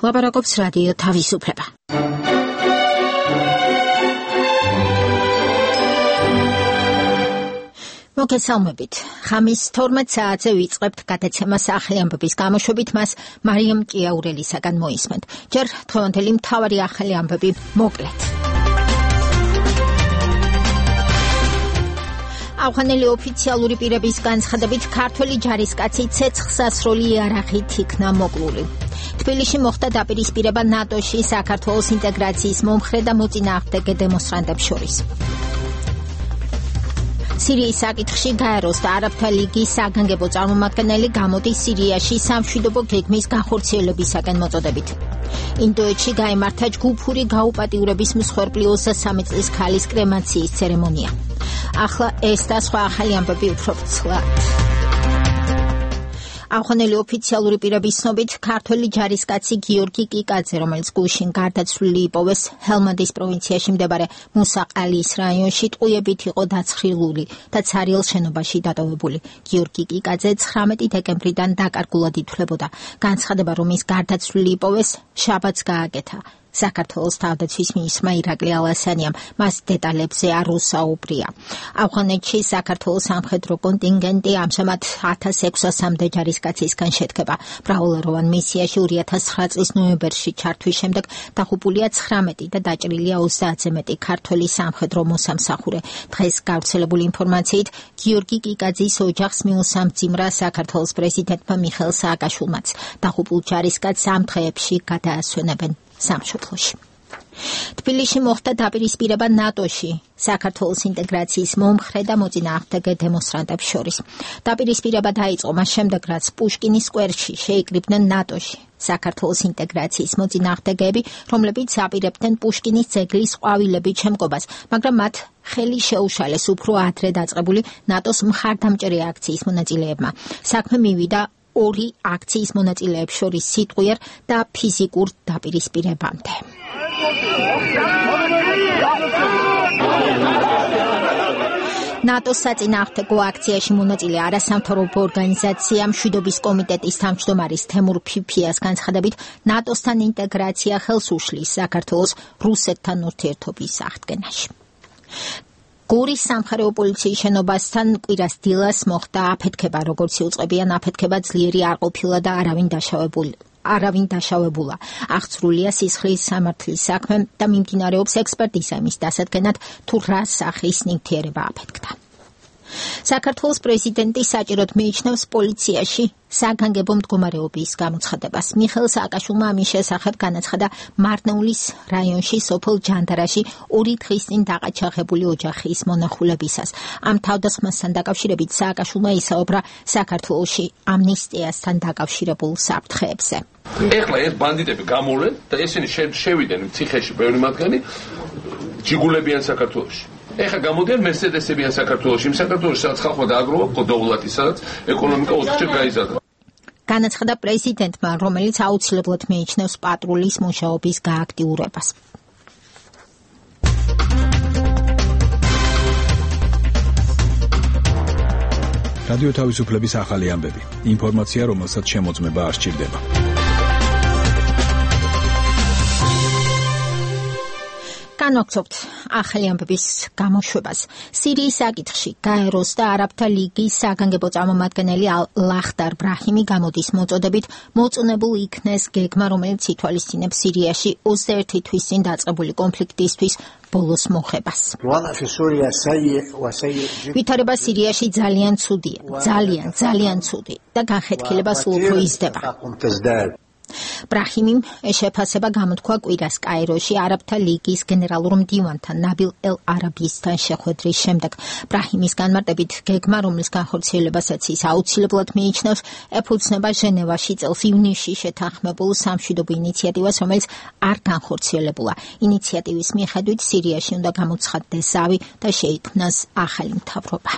ლაპარაკობს რადიო თავისუფლება. მოგესალმებით. ხამის 12 საათზე ვიწყებთ გადაცემას ახალი ამბების გამოშვებით, მას მარიამ ჭიაურელისაგან მოისმენთ. ჯერ დღევანდელი მთავარი ახალი ამბები მოკლედ. ავღანელი ოფიციალური პირების განცხადებით ქართველი ჯარისკაცი ცეცხლსასროლი იარაღით იქნა მოკლული. თბილისში მოხდა დაპირისპირება ნატოში საქართველოს ინტეგრაციის მომხრე და მოწინააღმდეგე დემონსტრანტებს შორის. სირიის საკითხში გაეროს და არაბთა ლიგის საგანგებო წარმომადგენელი გამოდის სირიაში სამშვიდობო გეგმის განხორციელებისაკენ მოწოდებით. ინდოეთში გაიმართა ჯგუფური გაუპატიურების მსხვერპლი 23 წლის ქალის კრემაციის ცერემონია. ახლა ეს და სხვა ახალი ამბები უფრო ფცლად. ავღანელი ოფიციალური პირების ცნობით ქართველი ჯარისკაცი გიორგი კიკაძე, რომელიც გუშინ გარდაცვლილი იპოვეს ჰელმანდის პროვინციაში მდებარე მუსაყალის რაიონში, ტყუებით იყო დაცხრილული და ცარიელ შენობაში დატოვებული. გიორგი კიკაძე 19 დეკემბრიდან დაკარგულად ითვლებოდა. განცხადება, რომ ის გარდაცვლილი იპოვეს, შაბათს გააკეთა. საქართველოს თავდაცვის მინისტრმა ირაკლი ალასანიამ მას დეტალებზე არ უსაუბრია. ავღანეთში საქართველოს სამხედრო კონტინგენტი ამჟამად 1600-მდე ჯარისკაცისგან შედგება. მრავალეროვან მისიაში 2009 წლის ნოემბერში ჩართვის შემდეგ დაღუპულია 19 და დაჭრილია 30-ზე მეტი ქართველი სამხედრო მოსამსახურე. დღეს გავრცელებული ინფორმაციით გიორგი კიკაძის ოჯახს მიუსამძიმრა საქართველოს პრეზიდენტმა მიხეილ სააკაშვილმაც. დაღუპულ ჯარისკაცს ამ დღეებში გადაასვენებენ სამშობლოში. თბილისში მოხდა დაპირისპირება ნატოში საქართველოს ინტეგრაციის მომხრე და მოწინააღმდეგე დემონსტრანტებს შორის. დაპირისპირება დაიწყო მას შემდეგ, რაც პუშკინის სკვერში შეიკრიბნენ ნატოში საქართველოს ინტეგრაციის მოწინააღმდეგეები, რომლებიც აპირებდნენ პუშკინის ძეგლის ყვავილებით შემკობას, მაგრამ მათ ხელი შეუშალეს უფრო ადრე დაწყებული ნატოს მხარდამჭერი აქციის მონაწილეებმა. საქმე მივიდა ორი აქციის მონაწილეებს შორის სიტყვიერ და ფიზიკურ დაპირისპირებამდე. ნატოს საწინააღმდეგო აქციაში მონაწილე არასამთავრობო ორგანიზაცია მშვიდობის კომიტეტის თავმჯდომარის თემურ ფიფიას განცხადებით, ნატოსთან ინტეგრაცია ხელს უშლის საქართველოს რუსეთთან ურთიერთობის აღდგენაში. გორის სამხარეო პოლიციის შენობასთან კვირას დილას მოხდა აფეთქება, როგორც იუწყებიან აფეთქება ძლიერი არ ყოფილა და არავინ დაშავებულა. აღწრულია სისხლის სამართლის საქმე და მიმდინარეობს ექსპერტიზა იმის დასადგენად, თუ რა სახის ნივთიერება აფეთქდა. საქართველოს პრეზიდენტი საჭიროდ მიიჩნევს პოლიციაში საგანგებო მდგომარეობის გამოცხადებას. მიხეილ სააკაშვილმა ამის შესახებ განაცხადა მარნეულის რაიონში სოფელ ჯანდარაში 2 დღის წინ დაყაჩაღებული ოჯახის მონახულებისას. ამ თავდასხმასთან დაკავშირებით სააკაშვილმა ისაუბრა საქართველოში ამნისტიასთან დაკავშირებულ საფრთხეებზე. ეხლა ეს ბანდიტები გამოვლენ და ესენი შევიდნენ ციხეში ბევრი მათგანი ჯიგულებიან საქართველოში. ეხლა გამოდიან მერსედესებიან საქართველოში, იმ საქართველოში სადაც ხალხმა დააგროვა ყოდოვლათი, სადაც ეკონომიკა ოთხჯერ გაიზარდა. განაცხადა პრეზიდენტმა, რომელიც აუცილებლად მიიჩნევს პატრულის მუშაობის გააქტიურებას. რადიო თავისუფლების ახალი ამბები. ინფორმაცია, რომელსაც შემოწმება არ სჭირდება. განვაგრძობთ ახალი ამბების გამოშვებას. სირიის საკითხში გაეროს და არაბთა ლიგის საგანგებო წარმომადგენელი ლახდარ ბრაჰიმი გამოდის მოწოდებით მოწონებულ იქნეს გეგმა, რომელიც ითვალისწინებს სირიაში 21 თვის წინ დაწყებული კონფლიქტისთვის ბოლოს მოხებას. ვითარება სირიაში ძალიან ცუდია, ძალიან ცუდი და განხეთქილება სულ უფრო იზრდება. ბრაჰიმიმ შეფასება გამოთქვა კვირას კაიროში არაბთა ლიგის გენერალურ მდივანთან ნაბილ ელ-არაბისთან შეხვედრის შემდეგ. ბრაჰიმის განმარტებით გეგმა, რომლის განხორციელებასაც ის აუცილებლად მიიჩნევს, ეფუძნება ჟენევაში წელს ივნისში შეთანხმებულ სამშვიდობო ინიციატივას, რომელიც არ განხორციელებულა. ინიციატივის მიხედვით სირიაში უნდა გამოცხადდეს ზავი და შეიქმნას ახალი მთავრობა.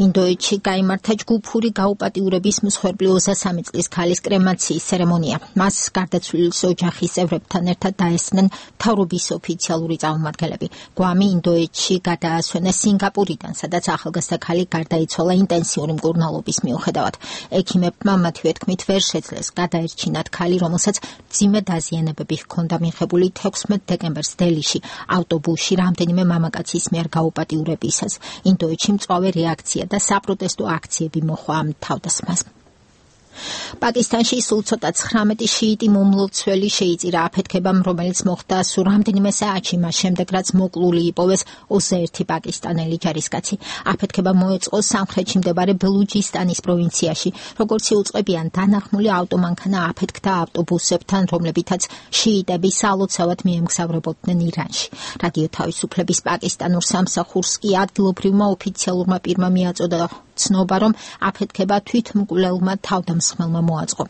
ინდოეთში გაიმართა ჯგუფური გაუპატიურების მსხვერპლი 23 წლის ქალის კრემაციის ცერემონია. მას გარდაცვლილის ოჯახის წევრებთან ერთად დაესწნენ მთავრობის ოფიციალური წარმომადგენლები. გვამი ინდოეთში გადაასვენეს სინგაპურიდან, სადაც ახალგაზრდა ქალი გარდაიცვალა ინტენსიური მკურნალობის მიუხედავად. ექიმებმა მათივე თქმით ვერ შეძლეს გადაერჩინათ ქალი, რომელსაც მძიმე დაზიანებები ჰქონდა მიღებული 16 დეკემბერს დელიში ავტობუსში რამდენიმე მამაკაცის მიერ გაუპატიურებისას. ინდოეთში მწვავე რეაქცია და საპროტესტო აქციები მოჰყვა ამ თავდასხმას. პაკისტანში სულ ცოტა 19 შიიტი მომლოცველი შეიწირა აფეთქებამ, რომელიც მოხდა სულ რამდენიმე საათში მას შემდეგ, რაც მოკლული იპოვეს 21 პაკისტანელი ჯარისკაცი. აფეთქება მოეწყო სამხრეთში მდებარე ბელუჯისტანის პროვინციაში. როგორც იუწყებიან, დანახმული ავტომანქანა აფეთქდა ავტობუსებთან, რომლებითაც შიიტები სალოცავად მიემგზავრებოდნენ ირანში. რადიო თავისუფლების პაკისტანურ სამსახურს კი ადგილობრივმა ოფიციალურმა პირმა მიაწოდა ცნობა, რომ აფეთქება თვითმკვლელმა თავდამსხმელმა მოაწყო.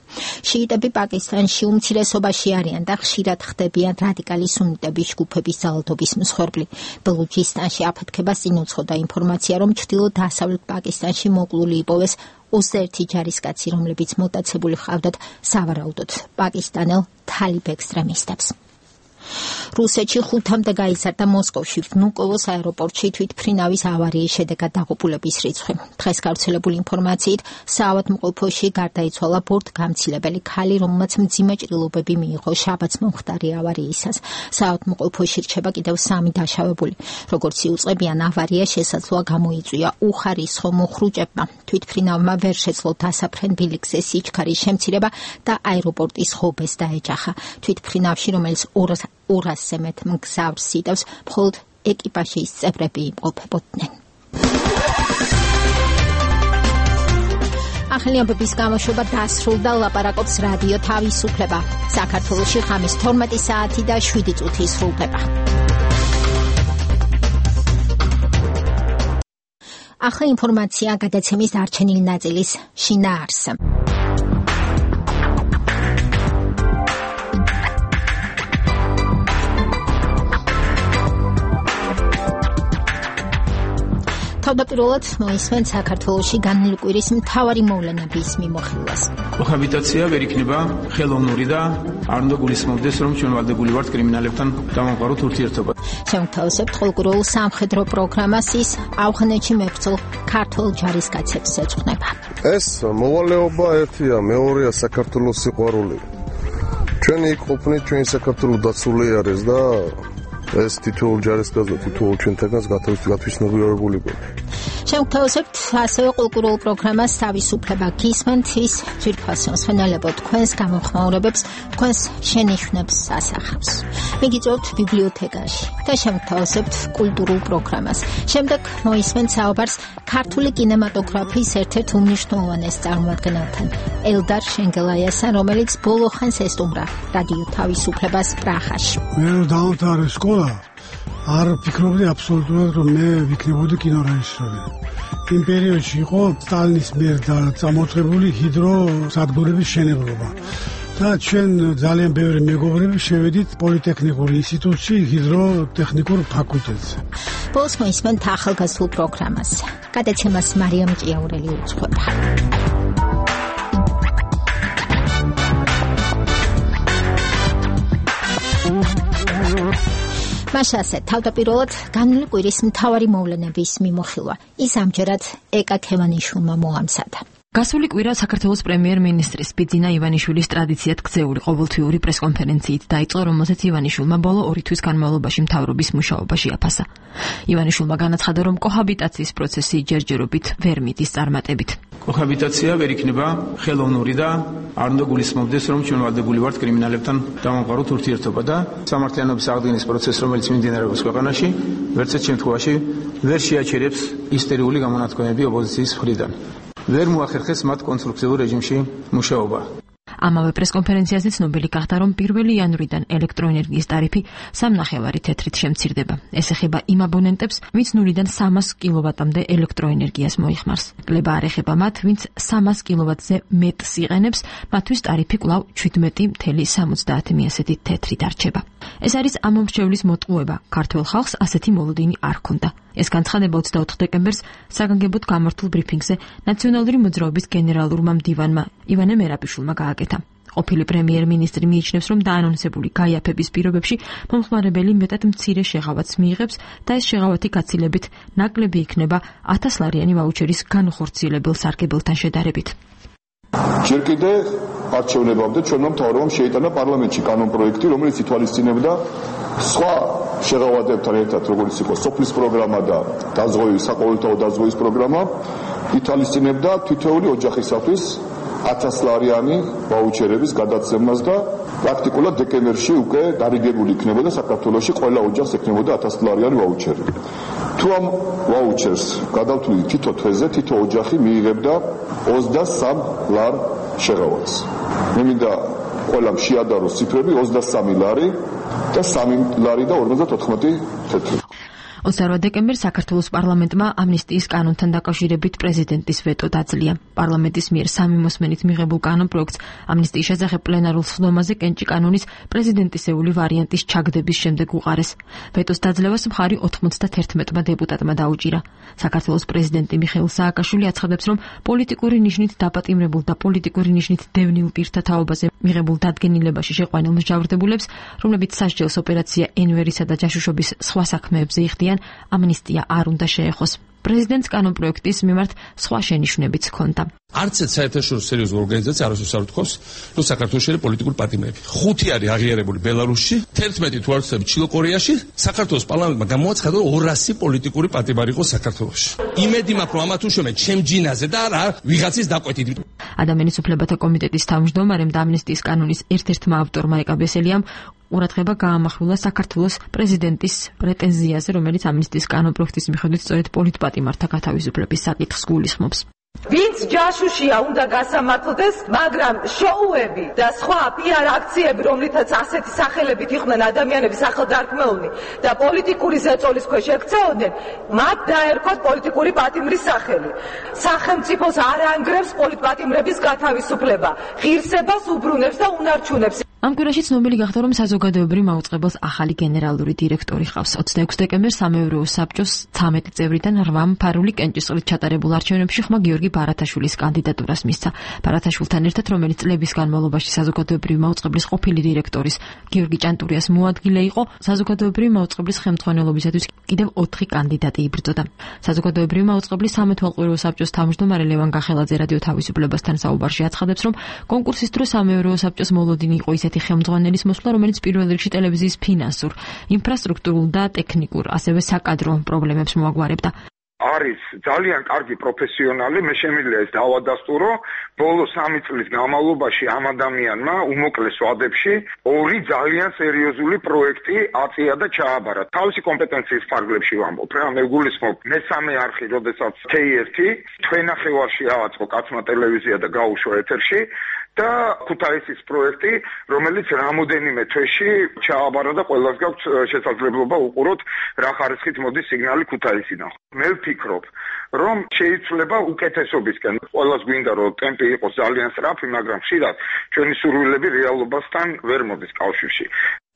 შიიტები პაკისტანში უმცირესობაში არიან და ხშირად ხდებიან რადიკალი სუნიტების ჯგუფების ძალადობის მსხვერპლი. ბელუჯისტანში აფეთქებას წინ უძღოდა ინფორმაცია, რომ ჩრდილო-დასავლეთ პაკისტანში მოკლული იპოვეს 21 ჯარისკაცი, რომლებიც მოტაცებული ჰყავდათ სავარაუდოდ პაკისტანელ თალიბ ექსტრემისტებს. რუსეთში 5-მდე გაიზარდა მოსკოვში ვნუკოვოს აეროპორტში თვითმფრინავის ავარიის შედეგად დაღუპულების რიცხვი. დღეს გავრცელებული ინფორმაციით საავადმყოფოში გარდაიცვალა ბორტგამცილებელი ქალი, რომელმაც მძიმე ჭრილობები მიიღო შაბათს მომხდარი ავარიისას. საავადმყოფოში რჩება კიდევ 3 დაშავებული. როგორც იუწყებიან, ავარია შესაძლოა გამოიწვია უხარისხო მოხრუჭებმა. თვითმფრინავმა ვერ შეძლო დასაფრენ ბილიკზე სიჩქარის შემცირება და აეროპორტის ღობეს დაეჯახა. თვითმფრინავში, რომელიც 200-ზე მეტ მგზავრს იტევს, მხოლოდ ეკიპაჟის წევრები იმყოფებოდნენ. ახალი ამბების გამოშვება დასრულდა. ლაპარაკობს რადიო თავისუფლება. საქართველოში ხამის 12 საათი და 7 წუთი სრულდება. ახლა ინფორმაცია გადაცემის დარჩენილი ნაწილის შინაარსზე. თავდაპირველად მოისმენთ საქართველოში განვლილი კვირის მთავარი მოვლენების მიმოხილვას. კოჰაბიტაცია ვერ იქნება ხელოვნური და არ უნდა გულისხმობდეს, რომ ჩვენ ვალდებული ვართ კრიმინალებთან დამამყაროთ ურთიერთობა. შევთავაზებთ ყოველკვირეულ სამხედრო პროგრამას, ის ავღანეთში მებრძოლ ქართველ ჯარისკაცებს ეძღვნება. ეს მოვალეობა ერთია, მეორეა საქართველოს სიყვარული. ჩვენი იქ ყოფნით, ჩვენი საქართველო დაცული არის და ეს თითოეულ ჯარისკაცს და თითოეულ ჩვენთანაც გათვისნობიერებული გვაქვს. შევთავაზებთ ასევე ყოველკვირეულ პროგრამას თავისუფლება გისმენთ, ის ძვირფასო მსმენელებო თქვენს გამოხმაურებებს, თქვენს შენიშვნებს ასახავს. მიგიწევთ ბიბლიოთეკაში და შევთავაზებთ კულტურულ პროგრამას. შემდეგ მოისმენთ საუბარს ქართული კინემატოგრაფიის ერთ-ერთ უმნიშვნელოვანეს წარმომადგენელთან, ელდარ შენგელაიასთან, რომელიც ბოლო ხანს ესტუმრა რადიო თავისუფლებას პრაღაში. მე დავამთავრე სკოლა, არ ფიქრობდი აბსოლუტურად, რომ მე ვიქნებოდი კინორეჟისორი. იმ პერიოდში იყო სტალინის მიერ წამოწყებული ჰიდროსადგურების მშენებლობა. და ჩვენ ძალიან ბევრი მეგობრები შევედით პოლიტექნიკურ ინსტიტუტში, ჰიდროტექნიკურ ფაკულტეტზე. ბოლოს მოისმენთ ახალგაზრდულ პროგრამას. გადაცემას მარიამ ჭიაურელი უძღვება. მასასე თავდაპირველად განვლილი კვირის მთავარი მოვლენების მიმოხილვა. ის ამჯერად ეკა ქევანიშვილმა მოამზადა. გასული კვირა საქართველოს პრემიერ-მინისტრის ბიძინა ივანიშვილის ტრადიციად გრძეული ყოველთვიური პრესკონფერენციით დაიწყო, რომელზეც ივანიშვილმა ბოლო 2 თვის განმავლობაში მთავრობის მუშაობაში აფასა. ივანიშვილმა განაცხადა, რომ კოჰაბიტაციის პროცესი ჯერჯერობით ვერ მიდის წარმატებით. კოჰაბიტაცია ვერ იქნება ხელოვნური და არ უნდა გულისხმობდეს, რომ ჩვენ ვალდებული ვართ კრიმინალებთან დამამყაროთ ურთიერთობა და სამართლიანობის აღდგენის პროცესი, რომელიც მიმდინარეობს ქვეყანაში, ვერცერთ შემთხვევაში ვერ შეაჩერებს ისტერიული გამონათქვამები ოპოზიციის მხრიდან. ვერ მოახერხეს მათ კონსტრუქციულ რეჟიმში მუშაობა. ამავე პრესკონფერენციაზე ცნობილი გახდა, რომ 1 იანვრიდან ელექტროენერგიის ტარიფი 3.5 თეთრით შემცირდება. ეს ეხება იმ აბონენტებს, ვინც 0-დან 300 კილოვატამდე ელექტროენერგიას მოიხმარს. კლება არ ეხება მათ, ვინც 300 კილოვატზე მეტს იყენებს, მათთვის ტარიფი კვლავ 17.70 თეთრით არჩება. ეს არის ამ მომრჩევლის მოტყუება. ქართველ ხალხს ასეთი მოლოდინი არ ჰქონდა. ეს განცხადება 24 დეკემბერს საგანგებოდ გამართულ ბრიფინგზე ნაციონალური მოძრაობის გენერალურმა მდივანმა ივანე მერაბიშვილმა გააკეთა. ყოფილი პრემიერ-მინისტრი მიიჩნევს, რომ დაანონსებული გაიაფების პირობებში მომხმარებელი მეტად მცირე შეღავათს მიიღებს და ეს შეღავათი გაცილებით ნაკლები იქნება 1000 ლარიანი ვაუჩერის განუხორციელებელ სარგებელთან შედარებით. ჯერ კიდე არჩევნებამდე ჩვენმა მთავრობამ შეიტანა პარლამენტში კანონპროექტი, რომელიც ითვალისწინებდა სხვა შეღავათებთან ერთად, როგორც იყო სოფლის პროგრამა და საყოველთაო დაზღვევის პროგრამა, ითვალისწინებდა თითოეული ოჯახისათვის 1000 ლარიანი ვაუჩერების გადაცემას და პრაქტიკულად დეკემბერში უკვე დარიგებული იქნებოდა საქართველოში ყველა ოჯახს ექნებოდა 1000 ლარიანი ვაუჩერი. თუ ამ ვაუჩერს გადავთვლით თითო თვეზე, თითო ოჯახი მიიღებდა 23 ლარ შეღავათს. მე მინდა ყველამ შეადაროს ციფრები 23 ლარი და 3 ლარი და 54 თეთრი. 28 დეკემბერს საქართველოს პარლამენტმა ამნისტიის კანონთან დაკავშირებით პრეზიდენტის ვეტო დაძლია. პარლამენტის მიერ 3 მოსმენით მიღებულ კანონპროექტს ამნისტიის შესახებ პლენარულ სხდომაზე კენჭი კანონის პრეზიდენტისეული ვარიანტის ჩაგდების შემდეგ უყარეს. ვეტოს დაძლევას მხარი 91 დეპუტატმა დაუჭირა. საქართველოს პრეზიდენტი მიხეილ სააკაშვილი აცხადებს, რომ პოლიტიკური ნიშნით დაპატიმრებულ და პოლიტიკური ნიშნით დევნილ პირთა თაობაზე მიღებულ დადგენილებაში შეყვანილ მსჯავრდებულებს, რომლებიც სასჯელს ოპერაცია ენვერისა და ჯაშუშობის სხვა საქმეებზე იხდიან, ამნისტია არ უნდა შეეხოს. პრეზიდენტს კანონპროექტის მიმართ სხვა შენიშვნებიც ჰქონდა. არც ერთ საერთაშორისო სერიოზულ ორგანიზაციას არასდროს არ უთქვამს, რომ საქართველოში არის პოლიტიკური პატიმრები. 5 არის აღიარებული ბელარუსში, 11 თუ არ ვცდები ჩილო-კორეაში, საქართველოს პარლამენტმა გამოაცხადა, რომ 200 პოლიტიკური პატიმარი იყო საქართველოში. იმედი მაქვს, რომ ამა თუ შემე ჩემ ჯინაზე და არა ვიღაცის დაკვეთით. ადამიანის უფლებათა კომიტეტის თავმჯდომარემ და ამნისტიის კანონის ერთ-ერთმა ავტორმა ეკაბესელიამ ყურადღება გაამახვილა საქართველოს პრეზიდენტის პრეტენზიაზე, რომელიც ამნისტიის კანონპროექტის მიხედვით სწორედ პოლიტპატიმართა გათავისუფლების საკითხს გულისხმობს. ვინც ჯაშუშია უნდა გასამართლდეს, მაგრამ შოუები და სხვა PR აქციები, რომლითაც ასეთი სახელებით იყვნენ ადამიანები სახელდარქმეულნი და პოლიტიკური ზეწოლის ქვეშ ექცეოდნენ, მათ დაერქვათ პოლიტიკური პატიმრის სახელი. სახელმწიფოს არ ანგრევს პოლიტპატიმრების გათავისუფლება, ღირსებას უბრუნებს და უნარჩუნებს. ამ კვირაში ცნობილი გახდა, რომ საზოგადოებრივ მაუწყებელს ახალი გენერალური დირექტორი ჰყავს. 26 დეკემბერს სამეურვეო საბჭოს 13 წევრიდან 8 მფარული კენჭისყრით ჩატარებულ არჩევნებში ხმა გიორგი ბარათაშვილის კანდიდატურას მისცა. ბარათაშვილთან ერთად, რომელიც წლების განმავლობაში საზოგადოებრივ მაუწყებლის ყოფილი დირექტორის გიორგი ჭანტურიას მოადგილე იყო, საზოგადოებრივ მაუწყებლის ხელმძღვანელობისათვის კიდევ 4 კანდიდატი იბრძოდა. საზოგადოებრივ მაუწყებლის სამეთვალყურეო საბჭოს თავმჯდომარე ლევან გახელაძე რადიო თავისუფლებასთან საუბარში აცხადებს, რომ კონკურსის დროს სამეურვეო საბჭოს მოლოდინი იყო ისეთი ხელმძღვანელის მოსვლა, რომელიც პირველ რიგში ტელევიზიის ფინანსურ, ინფრასტრუქტურულ და ტექნიკურ, ასევე საკადრო პრობლემებს მოაგვარებდა. არის ძალიან კარგი პროფესიონალი, მე შემიძლია ეს დავადასტურო. ბოლო 3 წლის განმავლობაში ამ ადამიანმა უმოკლეს ვადებში 2 ძალიან სერიოზული პროექტი აწია და ჩააბარა. თავისი კომპეტენციის ფარგლებში ვამბობ. რა მე გულისხმობ მესამე არხი, როდესაც K1 თქვენახევარში ავაწყო კაცმა ტელევიზია და გაუშვა ეთერში. და ქუთაისის პროექტი, რომელიც რამოდენიმე თვეში ჩააბარა და ყველას გაქვს შესაძლებლობა უყუროთ რა ხარისხით მოდის სიგნალი ქუთაისიდან. მე ვფიქრობ, რომ შეიძლება უკეთესობისკენ. ყველას გვინდა რომ ტემპი იყოს ძალიან სწრაფი, მაგრამ ხშირად ჩვენი სურვილები რეალობასთან ვერ მოდის კავშირში.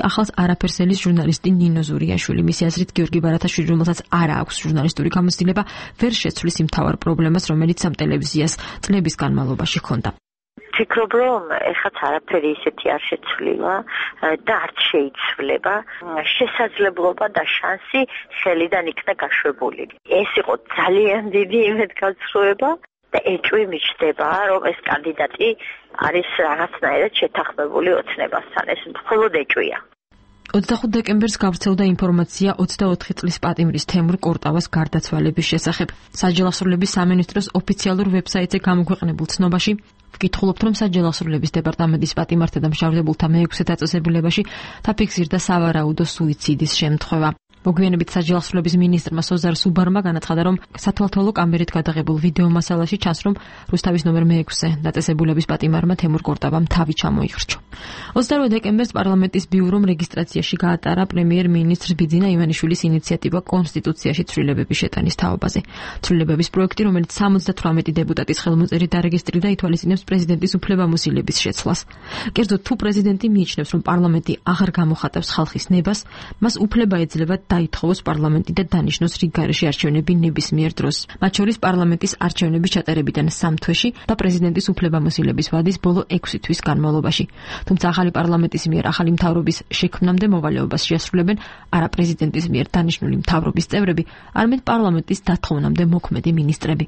ახალს არაფერს ელის ჟურნალისტი ნინო ზურიაშვილი, მისი აზრით გიორგი ბარათაშვილი, რომელსაც არ აქვს ჟურნალისტური გამოცდილება, ვერ შეცვლის იმ მთავარ პრობლემას, რომელიც ამ ტელევიზიას წლების განმავლობაში ჰქონდა. ვფიქრობ, რომ ეხაც არაფერი ისეთი არ შეცვლილა და არც შეიცვლება. შესაძლებლობა და შანსი ხელიდან იქნა გაშვებული. ეს იყო ძალიან დიდი იმედგაცრუება და ეჭვი მიჩნდება, რომ ეს კანდიდატი არის რაღაცნაირად შეთანხმებული ოცნებასთან. ეს მხოლოდ ეჭვია. 25 დეკემბერს გავრცელდა ინფორმაცია 24 წლის პატიმრის თემურ კორტავას გარდაცვალების შესახებ. საჯელახსრულების სამინისტროს ოფიციალურ ვებსაიტზე გამოქვეყნებულ ცნობაში ვკითხულობთ, რომ საჯელახსრულების დეპარტამენტის პატიმართა და მშავდებულთა მე-6 დაწესებულებაში დაფიქსირდა სავარაუდო სუიციდის შემთხვევა. მოგვიანებით საჯელახსრულების მინისტრმა სოზარ სუბარმა განაცხადა, რომ სათვალთვალო კამერით გადაღებულ ვიდეო მასალაში ჩანს, რომ რუსთავის ნომერ 6-ზე დაწესებულების პატიმარმა თემურ კორტაბამ თავი ჩამოიხრჩო. 28 დეკემბერს პარლამენტის ბიურომ რეგისტრაციაში გაატარა პრემიერ-მინისტრ ბიძინა ივანიშვილის ინიციატივა კონსტიტუციაში ცვლილებების შეტანის თაობაზე. ცვლილებების პროექტი, რომელიც 78 დეპუტატის ხელმოწერით დარეგისტრირდა, ითვალისწინებს პრეზიდენტის უფლებამოსილების შეცვლას. კერძოდ, თუ პრეზიდენტი მიიჩნევს, რომ პარლამენტი აღარ გამოხატავს ხალხის ნებას, მას უფლება ეძლევა დაითხოვოს პარლამენტი და დანიშნოს რიგ გარეშე არჩევნები ნებისმიერ დროს. მათ შორის პარლამენტის არჩევნების ჩატარებიდან 3 თვეში და პრეზიდენტის უფლებამოსილების ვადის ბოლო 6 თვის განმავლობაში. თუმცა ახალი პარლამენტის მიერ ახალი მთავრობის შექმნამდე მოვალეობას შეასრულებენ არა პრეზიდენტის მიერ დანიშნული მთავრობის წევრები, არამედ პარლამენტის დათხოვნამდე მოქმედი მინისტრები.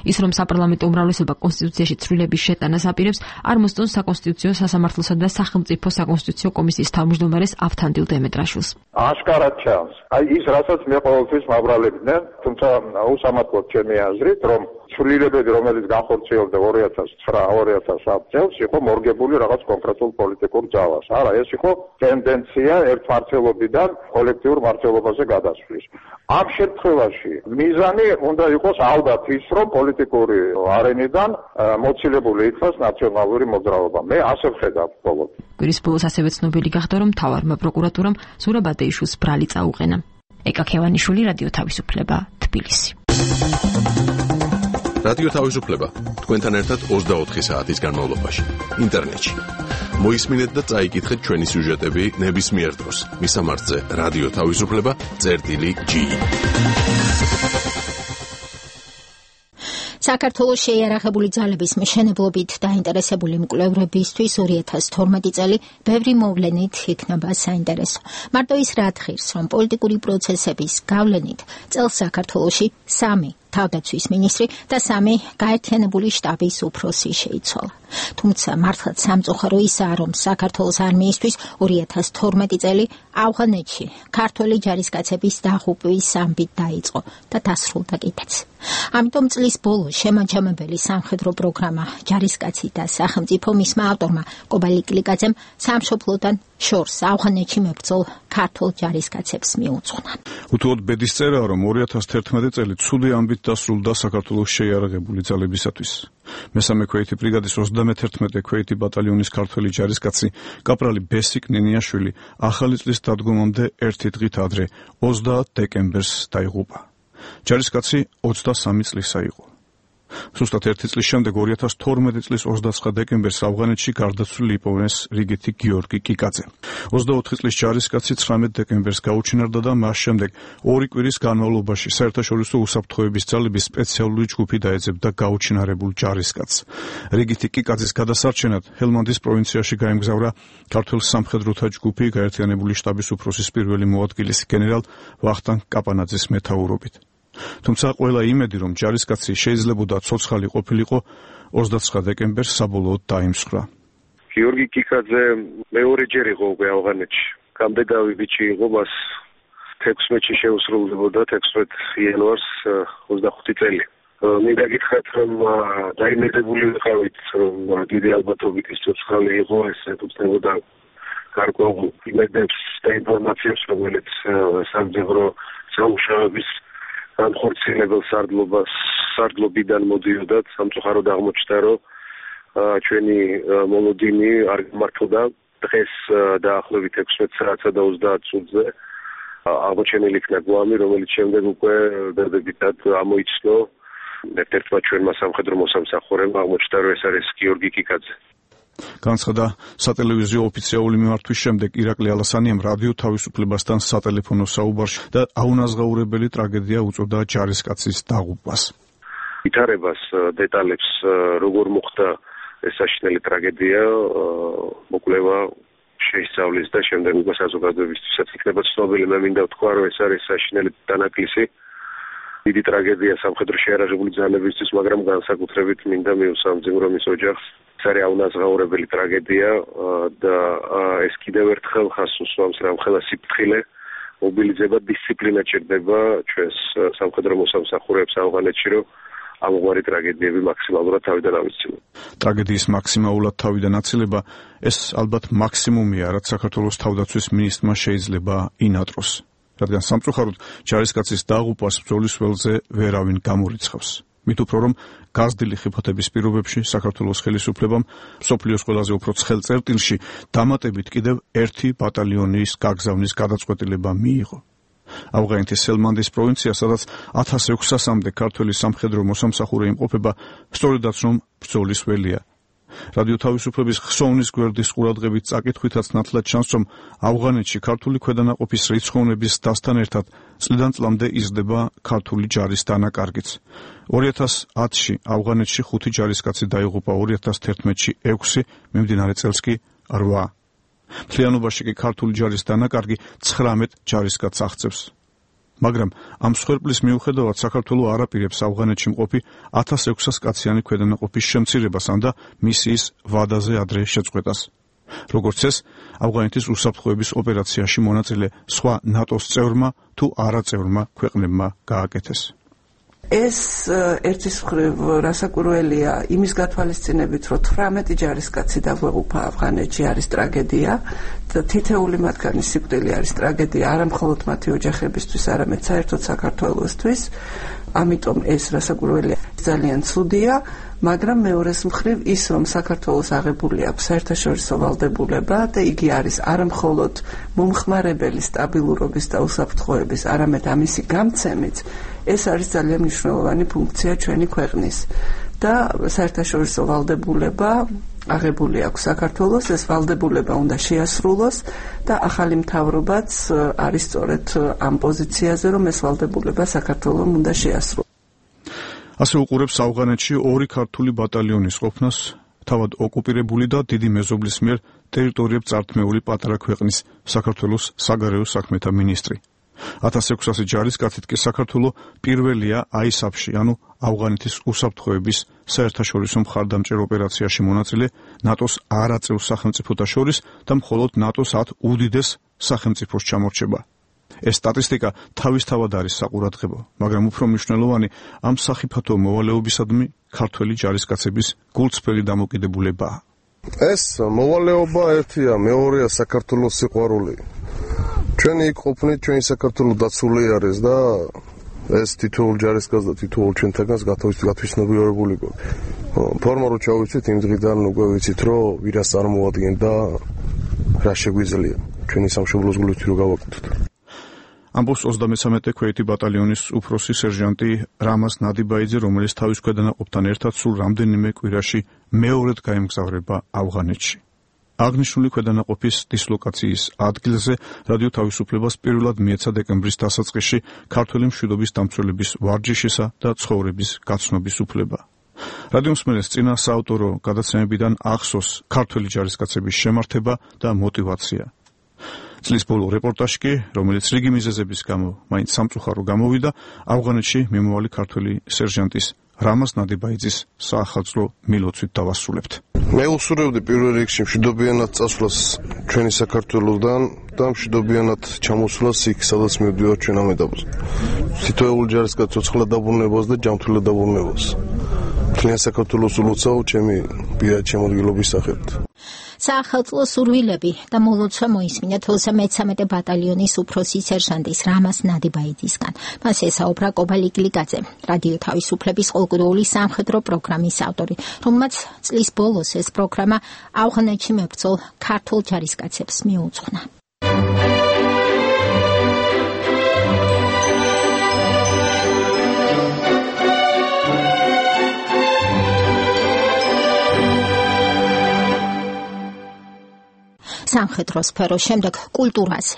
ის რომ საპარლამენტო უმრავლესობა კონსტიტუციაში ცვლილების შეტანას აპირებს, არ მოსწონს საკონსტიტუციო სასამართლოსა და სახელმწიფო საკონსტიტუციო კომისიის თავმჯდომარეს ავთანდილ დემეტრაშვილს. აშკარად ჩანს. ის რასაც მე ყოველთვის მაბრალებდნენ, თუმცა უსამართლოდ ჩემი აზრით, რომ ცვლილებები, რომელიც განხორციელდა 2009-2010 წელს, იყო მორგებული რაღაც კონკრეტულ პოლიტიკურ ძალას. არა, ეს იყო ტენდენცია ერთმართველობიდან კოლექტიურ მართლობაზე გადასვლის. ამ შემთხვევაში მიზანი უნდა იყოს ალბათ ის, რომ პოლიტიკური არენიდან მოცილებული იქნას ნაციონალური მოძრაობა. მე ასე ვხედავ ბოლოს. კვირის ბოლოს ასევე ცნობილი გახდა, რომ მთავარმა პროკურატურამ ზურაბ ადეიშვილს ბრალი წაუყენა. ეკა ქევანიშვილი, რადიო თავისუფლება, თბილისი. რადიო თავისუფლება თქვენთან ერთად 24 საათის განმავლობაში ინტერნეტში. მოისმინეთ და წაიკითხეთ ჩვენი სიუჟეტები ნებისმიერ დროს. მისამართზე რადიო თავისუფლება.gi. საქართველოს შეიარაღებული ძალების მშენებლობით დაინტერესებული მკვლევრებისთვის 2012 წელი ბევრი მოვლენით იქნება საინტერესო. მარტო ის რა თხირს, რომ პოლიტიკური პროცესების გავლენით წელს საქართველოში 3 თავდაცვის მინისტრი და 3 გაერთიანებული შტაბის უფროსი შეიცვალა. თუმცა მართლაც სამწუხარო ისაა, რომ საქართველოს არმიისთვის 2012 წელი ავღანეთში ქართველი ჯარისკაცების დაღუპვის ამბით დაიწყო და დასრულდა კიდეც. ამიტომ წლის ბოლოს შემაჯამებელი სამხედრო პროგრამა ჯარისკაცი და სახელმწიფო მისმა ავტორმა კობალი კლიკაძემ სამშობლოდან შორს ავღანეთში მებრძოლ ქართულ ჯარისკაცებს მიუძღვნა. უთუოდ ბედის წერაა, რომ 2011 წელი ცუდი ამბით დასრულდა საქართველოს შეიარაღებული ძალებისათვის. მესამე ქვეითი ბრიგადის 31 ქვეითი ბატალიონის ქართველი ჯარისკაცი კაპრალი ბესიკ ნინიაშვილი ახალი წლის დადგომამდე ერთი დღით ადრე 30 დეკემბერს დაიღუპა. ჯარისკაცი 23 წლისა იყო. სუსტად ერთი წლის შემდეგ 2012 წლის 29 დეკემბერს ავღანეთში გარდაცვლილი იპოვეს რიგითი გიორგი კიკაძე. 24 წლის ჯარისკაცი 19 დეკემბერს გაუჩინარდა და მას შემდეგ 2 კვირის განმავლობაში საერთაშორისო უსაფრთხოების ძალების სპეციალური ჯგუფი დაეძებდა გაუჩინარებულ ჯარისკაცს. რიგითი კიკაძის გადასარჩენად ჰელმანდის პროვინციაში გაემგზავრა ქართულ სამხედროთა ჯგუფი გაერთიანებული შტაბის უფროსის პირველი მოადგილის გენერალ ვახტანგ კაპანაძის მეთაურობით. თუმცა ყველა იმედი, რომ ჯარისკაცი შეიძლებოდა ცოცხალი ყოფილიყო, 29 დეკემბერს საბოლოოდ დაიმსხვრა. გიორგი კიკაძე მეორეჯერ იყო უკვე ავღანეთში. გამდეგავი ბიჭი იყო, მას 16-ში შეუსრულდებოდა 16 იანვარს 25 წელი. მინდა გითხრათ, რომ დაიმედებული ვიყავით, რომ დიდი ალბათობით ის ცოცხალი იყო, ეს ეთუცნებოდა გარკვეულ იმედებს და ინფორმაციებს, რომელიც სამძებრო სამუშაოების განხორციელებელ სარდლობიდან მოდიოდა. სამწუხაროდ აღმოჩნდა, რომ ჩვენი მოლოდინი არ გამართლდა. დღეს დაახლოებით 16 საათსა და 30 წუთზე აღმოჩენილი იქნა გვამი, რომელიც შემდეგ უკვე დადებითად ამოიცნო ერთ-ერთმა ჩვენმა სამხედრო მოსამსახურემ. აღმოჩნდა, რომ ეს არის გიორგი კიკაძე. განცხადა სატელევიზიო ოფიციალური მიმართვის შემდეგ ირაკლი ალასანიამ რადიო თავისუფლებასთან სატელეფონო საუბარში და აუნაზღაურებელი ტრაგედია უწოდა ჯარისკაცის დაღუპვას. ვითარებას დეტალებს როგორ მოხდა ეს საშინელი ტრაგედია მოკვლევა შეისწავლის და შემდეგ უკვე საზოგადოებისთვისაც იქნება ცნობილი. მე მინდა ვთქვა, რომ ეს არის საშინელი დანაკლისი დიდი ტრაგედია სამხედრო შეიარაღებული ძალებისთვის, მაგრამ განსაკუთრებით მინდა მივსამძიმო, რომ ის ოჯახს ეს არის აუნაზღაურებელი ტრაგედია და ეს კიდევ ერთხელ ხას უსვამს რამხელა სიფრთხილე, მობილიზება, დისციპლინა ჭირდება ჩვენს სამხედრო მოსამსახურეებს ავღანეთში, რომ ამგვარი ტრაგედიები მაქსიმალურად თავიდან ავიცილოთ. ტრაგედიის მაქსიმალურად თავიდან აცილება ეს ალბათ მაქსიმუმია, რაც საქართველოს თავდაცვის მინისტრმა შეიძლება ინატროს. რადგან სამწუხაროდ ჯარისკაცის დაღუპვას ბრძოლის ველზე ვერავინ გამორიცხავს. მით უფრო რომ გაზრდილი ხიფათების პირობებში საქართველოს ხელისუფლებამ მსოფლიოს ყველაზე უფრო ცხელ წერტილში დამატებით კიდევ 1 ბატალიონის გაგზავნის გადაწყვეტილება მიიღო. ავღანეთის სელმანდის პროვინცია, სადაც 1600-მდე ქართველი სამხედრო მოსამსახურე იმყოფება, სწორედაც რომ ბრძოლის ველია. რადიო თავისუფლების ხსოვნის გვერდის ყურადღებით წაკითხვითაც ნათლად ჩანს, რომ ავღანეთში ქართული ქვედანაყოფის რიცხოვნების დასთან ერთად წლიდან წლამდე იზრდება ქართული ჯარის დანაკარგიც. 2010-ში ავღანეთში 5 ჯარისკაცი დაიღუპა, 2011-ში 6, მიმდინარე წელს კი 8. მთლიანობაში კი ქართული ჯარის დანაკარგი 19 ჯარისკაცს აღწევს. მაგრამ ამ სხერპლის მიუხედავად საქართველო არ აპირებს ავღანეთში მყოფი 1600 კაციანი ქვედანაყოფის შემცირებას ან და მისიის ვადაზე ადრე შეწყვეტას. როგორც ეს, ავღანეთის უსაფრთხოების ოპერაციაში მონაწილე სხვა ნატოს წევრმა თუ არაწევრმა ქვეყნებმა გააკეთეს. ეს ერთის მხრივ რასაკვირველია იმის გათვალისწინებით, რომ 18 ჯარისკაცი დაგვეღუპა ავღანეთში არის ტრაგედია და თითეული მათგანის სიკვდილი არის ტრაგედია არა მხოლოდ მათი ოჯახებისთვის, არამედ საერთოდ საქართველოსთვის. ამიტომ ეს რასაკვირველია ძალიან ცუდია, მაგრამ მეორეს მხრივ ის, რომ საქართველოს აღებული აქვს საერთაშორისო ვალდებულება და იგი არის არა მხოლოდ მომხმარებელი სტაბილურობის და უსაფრთხოების, არამედ ამისი გამცემიც, ეს არის ძალიან მნიშვნელოვანი ფუნქცია ჩვენი ქვეყნის. და საერთაშორისო ვალდებულება აღებული აქვს საქართველოს, ეს ვალდებულება უნდა შეასრულოს და ახალი მთავრობაც არის სწორედ ამ პოზიციაზე, რომ ეს ვალდებულება საქართველოს უნდა შეასრულოს. ასე უყურებს ავღანეთში 2 ქართული ბატალიონის ყოფნას თავად ოკუპირებული და დიდი მეზობლის მიერ ტერიტორიებს წართმეული პატარა ქვეყნის საქართველოს საგარეო საქმეთა მინისტრი. 1600 ჯარისკაცით კი საქართველოს პირველია ISAF-ში, ანუ ავღანეთის უსაფრთხოების საერთაშორისო მხარდამჭერ ოპერაციაში მონაწილე ნატოს არაწევრ სახელმწიფოთა შორის და მხოლოდ ნატოს 10 უდიდეს სახელმწიფოს ჩამორჩება. ეს სტატისტიკა თავისთავად არის საყურადღებო, მაგრამ უფრო მნიშვნელოვანი ამ სახიფათო მოვალეობისადმი ქართველი ჯარისკაცების გულწრფელი დამოკიდებულებაა. ეს მოვალეობა ერთია, მეორეა საქართველოს სიყვარული. ჩვენი იქ ყოფნით ჩვენი საქართველოს დაცული არის და ეს თითოეულ ჯარისკაცს და თითოეულ ჩვენთაგანს გათვითცნობიერებული გვაქვს. ფორმა რო ჩავიცით იმ დღიდან უკვე ვიცით რომ ვირას წარმოადგენთ და რა შეგვიძლია ჩვენი სამშობლოს გულით რო გავაკეთოთ. ამბობს 33 ქვეითი ბატალიონის უფროსი სერჟანტი რამაზ ნადიბაიძე, რომელიც თავის ქვედანაყოფთან ერთად სულ რამდენიმე კვირაში მეორედ გაემგზავრება ავღანეთში. აღნიშნული ქვედანაყოფის დისლოკაციის ადგილზე რადიო თავისუფლებას პირველად მიეცა დეკემბრის დასაწყისში ქართველი მშვიდობის დამცველების ვარჯიშისა და ცხოვრების გაცნობის უფლება. რადიო მსმენელს წინა საავტორო გადაცემებიდან ახსოვს ქართველი ჯარისკაცების შემართება და мотиваცია. წლის ბოლო რეპორტაჟი კი, რომელიც რიგი მიზეზების გამო მაინც სამწუხარო გამოვიდა, ავღანეთში მიმოვალი ქართველი სერჟანტის რამაზ ნადიბაიძის საახალწლო მილოცვით დავასრულებთ. მე უსურვებდი პირველ რიგში მშვიდობიანად წასვლას ჩვენი საქართველოსდან და მშვიდობიანად ჩამოსვლას იქ, სადაც მივდივართ ჩვენ ამ ეტაპზე. თითოეულ ჯარისკაცს ცოცხლად დაბრუნებას და ჯანმრთელად დაბრუნებას. მთლიან საქართველოს ულოცავ ჩემი პირადი შემოდგილობის სახელით. საახალწლო სურვილები და მოლოცვა მოისმინა 13 ბატალიონის უფროსი სერჟანტის რამაზ ნადიბაიძისგან. მას ესაუბრა კობალ იგლიკაძე, რადიო თავისუფლების ყოველკვირეული სამხედრო პროგრამის ავტორი, რომელმაც წლის ბოლოს ეს პროგრამა ავღანეთში მებრძოლ ქართულ ჯარისკაცებს მიუძღვნა. სამხედრო სფეროს შემდეგ კულტურაზე.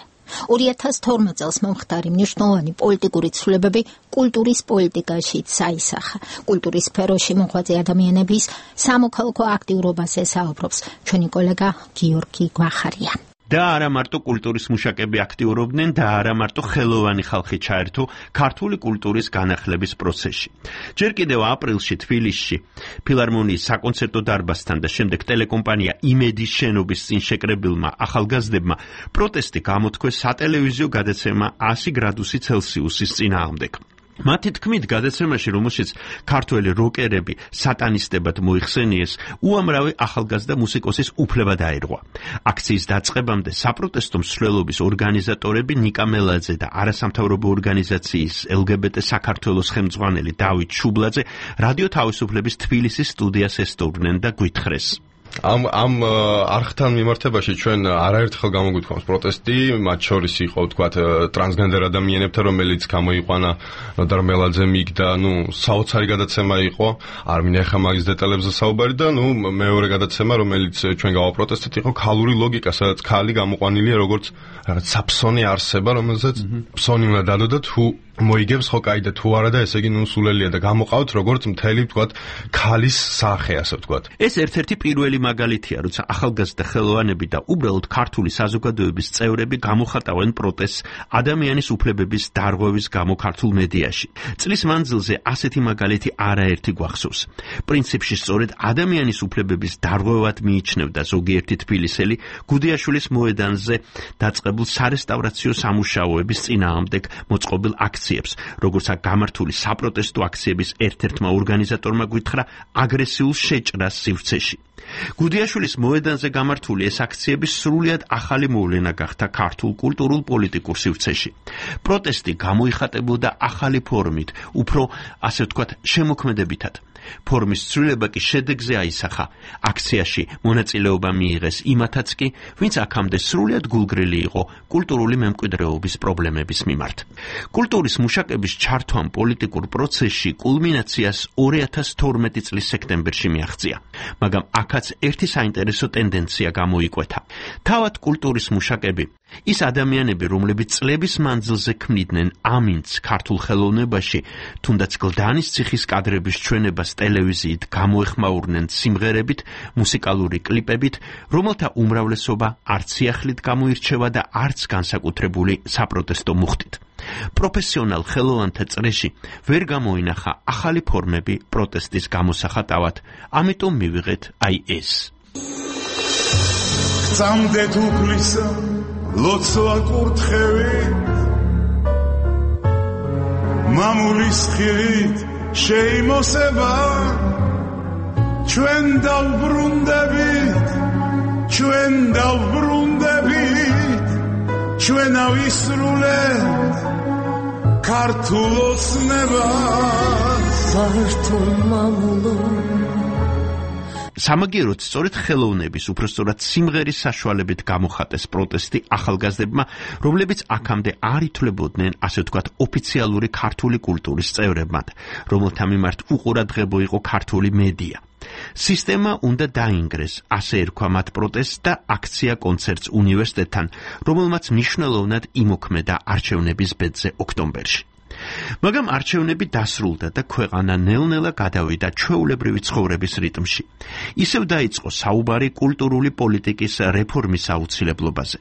2012 წელს მომხდარი მნიშვნელოვანი პოლიტიკური ცვლილებები კულტურის პოლიტიკაშიც აისახა. კულტურის სფეროში მოღვაწე ადამიანების სამოქალაქო აქტიურობაზე საუბრობს ჩვენი კოლეგა გიორგი გვახარია. და არა მარტო კულტურის მუშაკები აქტიურობდნენ და არა მარტო ხელოვანი ხალხი ჩაერთო ქართული კულტურის განახლების პროცესში. ჯერ კიდევ აპრილში თბილისში ფილარმონიის საკონცერტო დარბაზთან და შემდეგ ტელეკომპანია იმედის შენობის წინ შეკრებილმა ახალგაზრდებმა პროტესტი გამოთქვეს სატელევიზიო გადაცემა 100 გრადუსი ცელსიუსის წინააღმდეგ. მათი თქმით, გადაცემაში, რომელშიც ქართველი როკერები სატანისტებად მოიხსენიეს, უამრავი ახალგაზრდა მუსიკოსის უფლება დაირღვა. აქციის დაწყებამდე საპროტესტო მსვლელობის ორგანიზატორები ნიკა მელაძე და არასამთავრობო ორგანიზაციის LGBT საქართველოს ხელმძღვანელი დავით შუბლაძე რადიო თავისუფლების თბილისის სტუდიას ესტუმრნენ და გვითხრეს. ამ არხთან მიმართებაში ჩვენ არაერთხელ გამოგვიქვამს პროტესტი, მათ შორის იყო ვთქვათ ტრანსგენდერ ადამიანებთან, რომელიც გამოიყვანა ნოდარ მელაძემ იქ და საოცარი გადაცემა იყო. არ მინახა ხა მაგის დეტალებზე საუბარი და მეორე გადაცემა, რომელიც ჩვენ გავაპროტესტეთ, იყო ქალური ლოგიკა, სადაც ქალი გამოყვანილია როგორც რაღაც საფსონი არსება, რომელზეც ფსონი უნდა დადო და თუ მოიგებს ხო კაი და თუ არა და ესე იგი სულელია და გამოყავთ როგორც მთელი ვთქვათ ქალის სახე, ასე ვთქვათ. ეს ერთ-ერთი პირველი მაგალითია, როცა ახალგაზრდა ხელოვანები და უბრალოდ ქართული საზოგადოების წევრები გამოხატავენ პროტესტს ადამიანის უფლებების დარღვევის გამო ქართულ მედიაში. წლის მანძილზე ასეთი მაგალითი არაერთი გვახსოვს. პრინციპში სწორედ ადამიანის უფლებების დარღვევად მიიჩნევდა ზოგიერთი თბილისელი გუდიაშვილის მოედანზე დაწყებულ სარესტავრაციო სამუშაოების წინააღმდეგ მოწყობილ აქციებს, როგორც გამართული საპროტესტო აქციების ერთ-ერთმა ორგანიზატორმა გითხრა აგრესიულ შეჭრას სივრცეში. გუდიაშვილის მოედანზე გამართული ეს აქციები სრულიად ახალი მოვლენა გახდა ქართულ კულტურულ პოლიტიკურ სივრცეში. პროტესტი გამოიხატებოდა ახალი ფორმით, უფრო ასე ვთქვათ, შემოქმედებითად. ფორმის ცვლილება კი შედეგზე აისახა. აქციაში მონაწილეობა მიიღეს იმათაც კი, ვინც აქამდე სრულიად გულგრილი იყო კულტურული მემკვიდრეობის პრობლემების მიმართ. კულტურის მუშაკების ჩართვამ პოლიტიკურ პროცესში კულმინაციას 2012 წლის სექტემბერში მიაღწია, მაგრამ აქაც ერთი საინტერესო ტენდენცია გამოიკვეთა. თავად კულტურის მუშაკები, ის ადამიანები, რომლებიც წლების მანძილზე ქმნიდნენ ამინდს ქართულ ხელოვნებაში, თუნდაც გლდანის ციხის კადრების ჩვენებას ტელევიზიით გამოეხმაურნენ სიმღერებით, მუსიკალური კლიპებით, რომელთა უმრავლესობა არც სიახლით გამოირჩევა და არც განსაკუთრებული საპროტესტო მუხტით. პროფესიონალ ხელოვანთა წრეში ვერ გამოინახა ახალი ფორმები პროტესტის გამოსახატავად, ამიტომ მივიღეთ აი ეს. გწამდეთ უფლისა ლოცვა კურთხევით, მამულის ხილით შეიმოსება, ჩვენ დავბრუნდებით, ჩვენ ავისრულებთ ქართულ ოცნებას, ქართულ მამულო. სამაგიეროდ სწორედ ხელოვნების, უпростоრად სიმღერის საშუალებით გამოხატეს პროტესტი ახალგაზრდებმა, რომლებიც აქამდე არ ითვლებოდნენ, ასე ვთქვათ, ოფიციალური ქართული კულტურის წევრებად, რომელთა მიმართ უყურადღებო იყო ქართული მედია. სისტემა უნდა დაინგრეს, ასე ერქვა მათ პროტესტს და აქცია კონცერტს უნივერსიტეტთან, რომელმაც მნიშვნელოვნად იმოქმედა არჩევნების ბედზე ოქტომბერში. მაგრამ არჩევნები დასრულდა და ქვეყანა ნელ-ნელა გადავიდა ჩვეულებრივი ცხოვრების რიტმში. ისევ დაიწყო საუბარი კულტურული პოლიტიკის რეფორმის აუცილებლობაზე.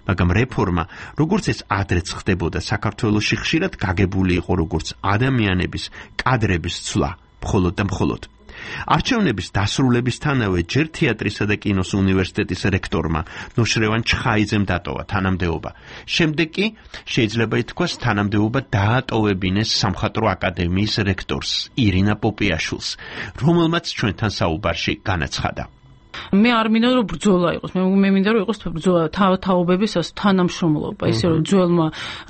მაგრამ რეფორმა, როგორც ეს ადრეც ხდებოდა საქართველოში, ხშირად გაგებული იყო როგორც ადამიანების, კადრების ცვლა, მხოლოდ და მხოლოდ. არჩევნების დასრულებისთანავე ჯერ თეატრისა და კინოს უნივერსიტეტის რექტორმა ნოშრევან ჩხაიძემ დატოვა თანამდებობა. შემდეგ კი შეიძლება ითქვას თანამდებობა დაატოვებინეს სამხატვრო აკადემიის რექტორს ირინა პოპიაშვილს, რომელმაც ჩვენთან საუბარში განაცხადა. მე არ მინდა რომ ბრძოლა იყოს, მე მინდა რომ იყოს ბრძოლა თაობების თანამშრომლობა, ისე რომ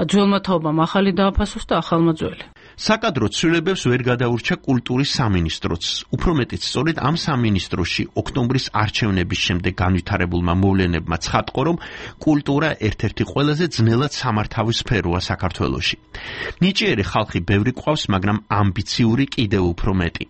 ძველმა თაობამ ახალი დააფასოს და ახალმა ძველი. საკადრო ცვლილებებს ვერ გადაურჩა კულტურის სამინისტროც. უფრო მეტიც, სწორედ ამ სამინისტროში ოქტომბრის არჩევნების შემდეგ განვითარებულმა მოვლენებმა ცხადყო, რომ კულტურა ერთ-ერთი ყველაზე ძნელად სამართავი სფეროა საქართველოში. ნიჭიერი ხალხი ბევრი ყავს, მაგრამ ამბიციური კიდევ უფრო მეტი.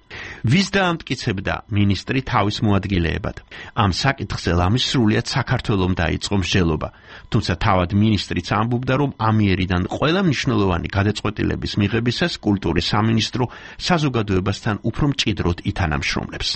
ვის დაამტკიცებდა მინისტრი თავის მოადგილეებად? ამ საკითხზე ლამის სრულიად საქართველომ დაიწყო მსჯელობა. თუმცა თავად მინისტრიც ამბობდა, რომ ამიერიდან ყველა მნიშვნელოვანი გადაწყვეტილების მიღებისას კულტურის სამინისტრო საზოგადოებასთან უფრო მჭიდროდ ითანამშრომლებს.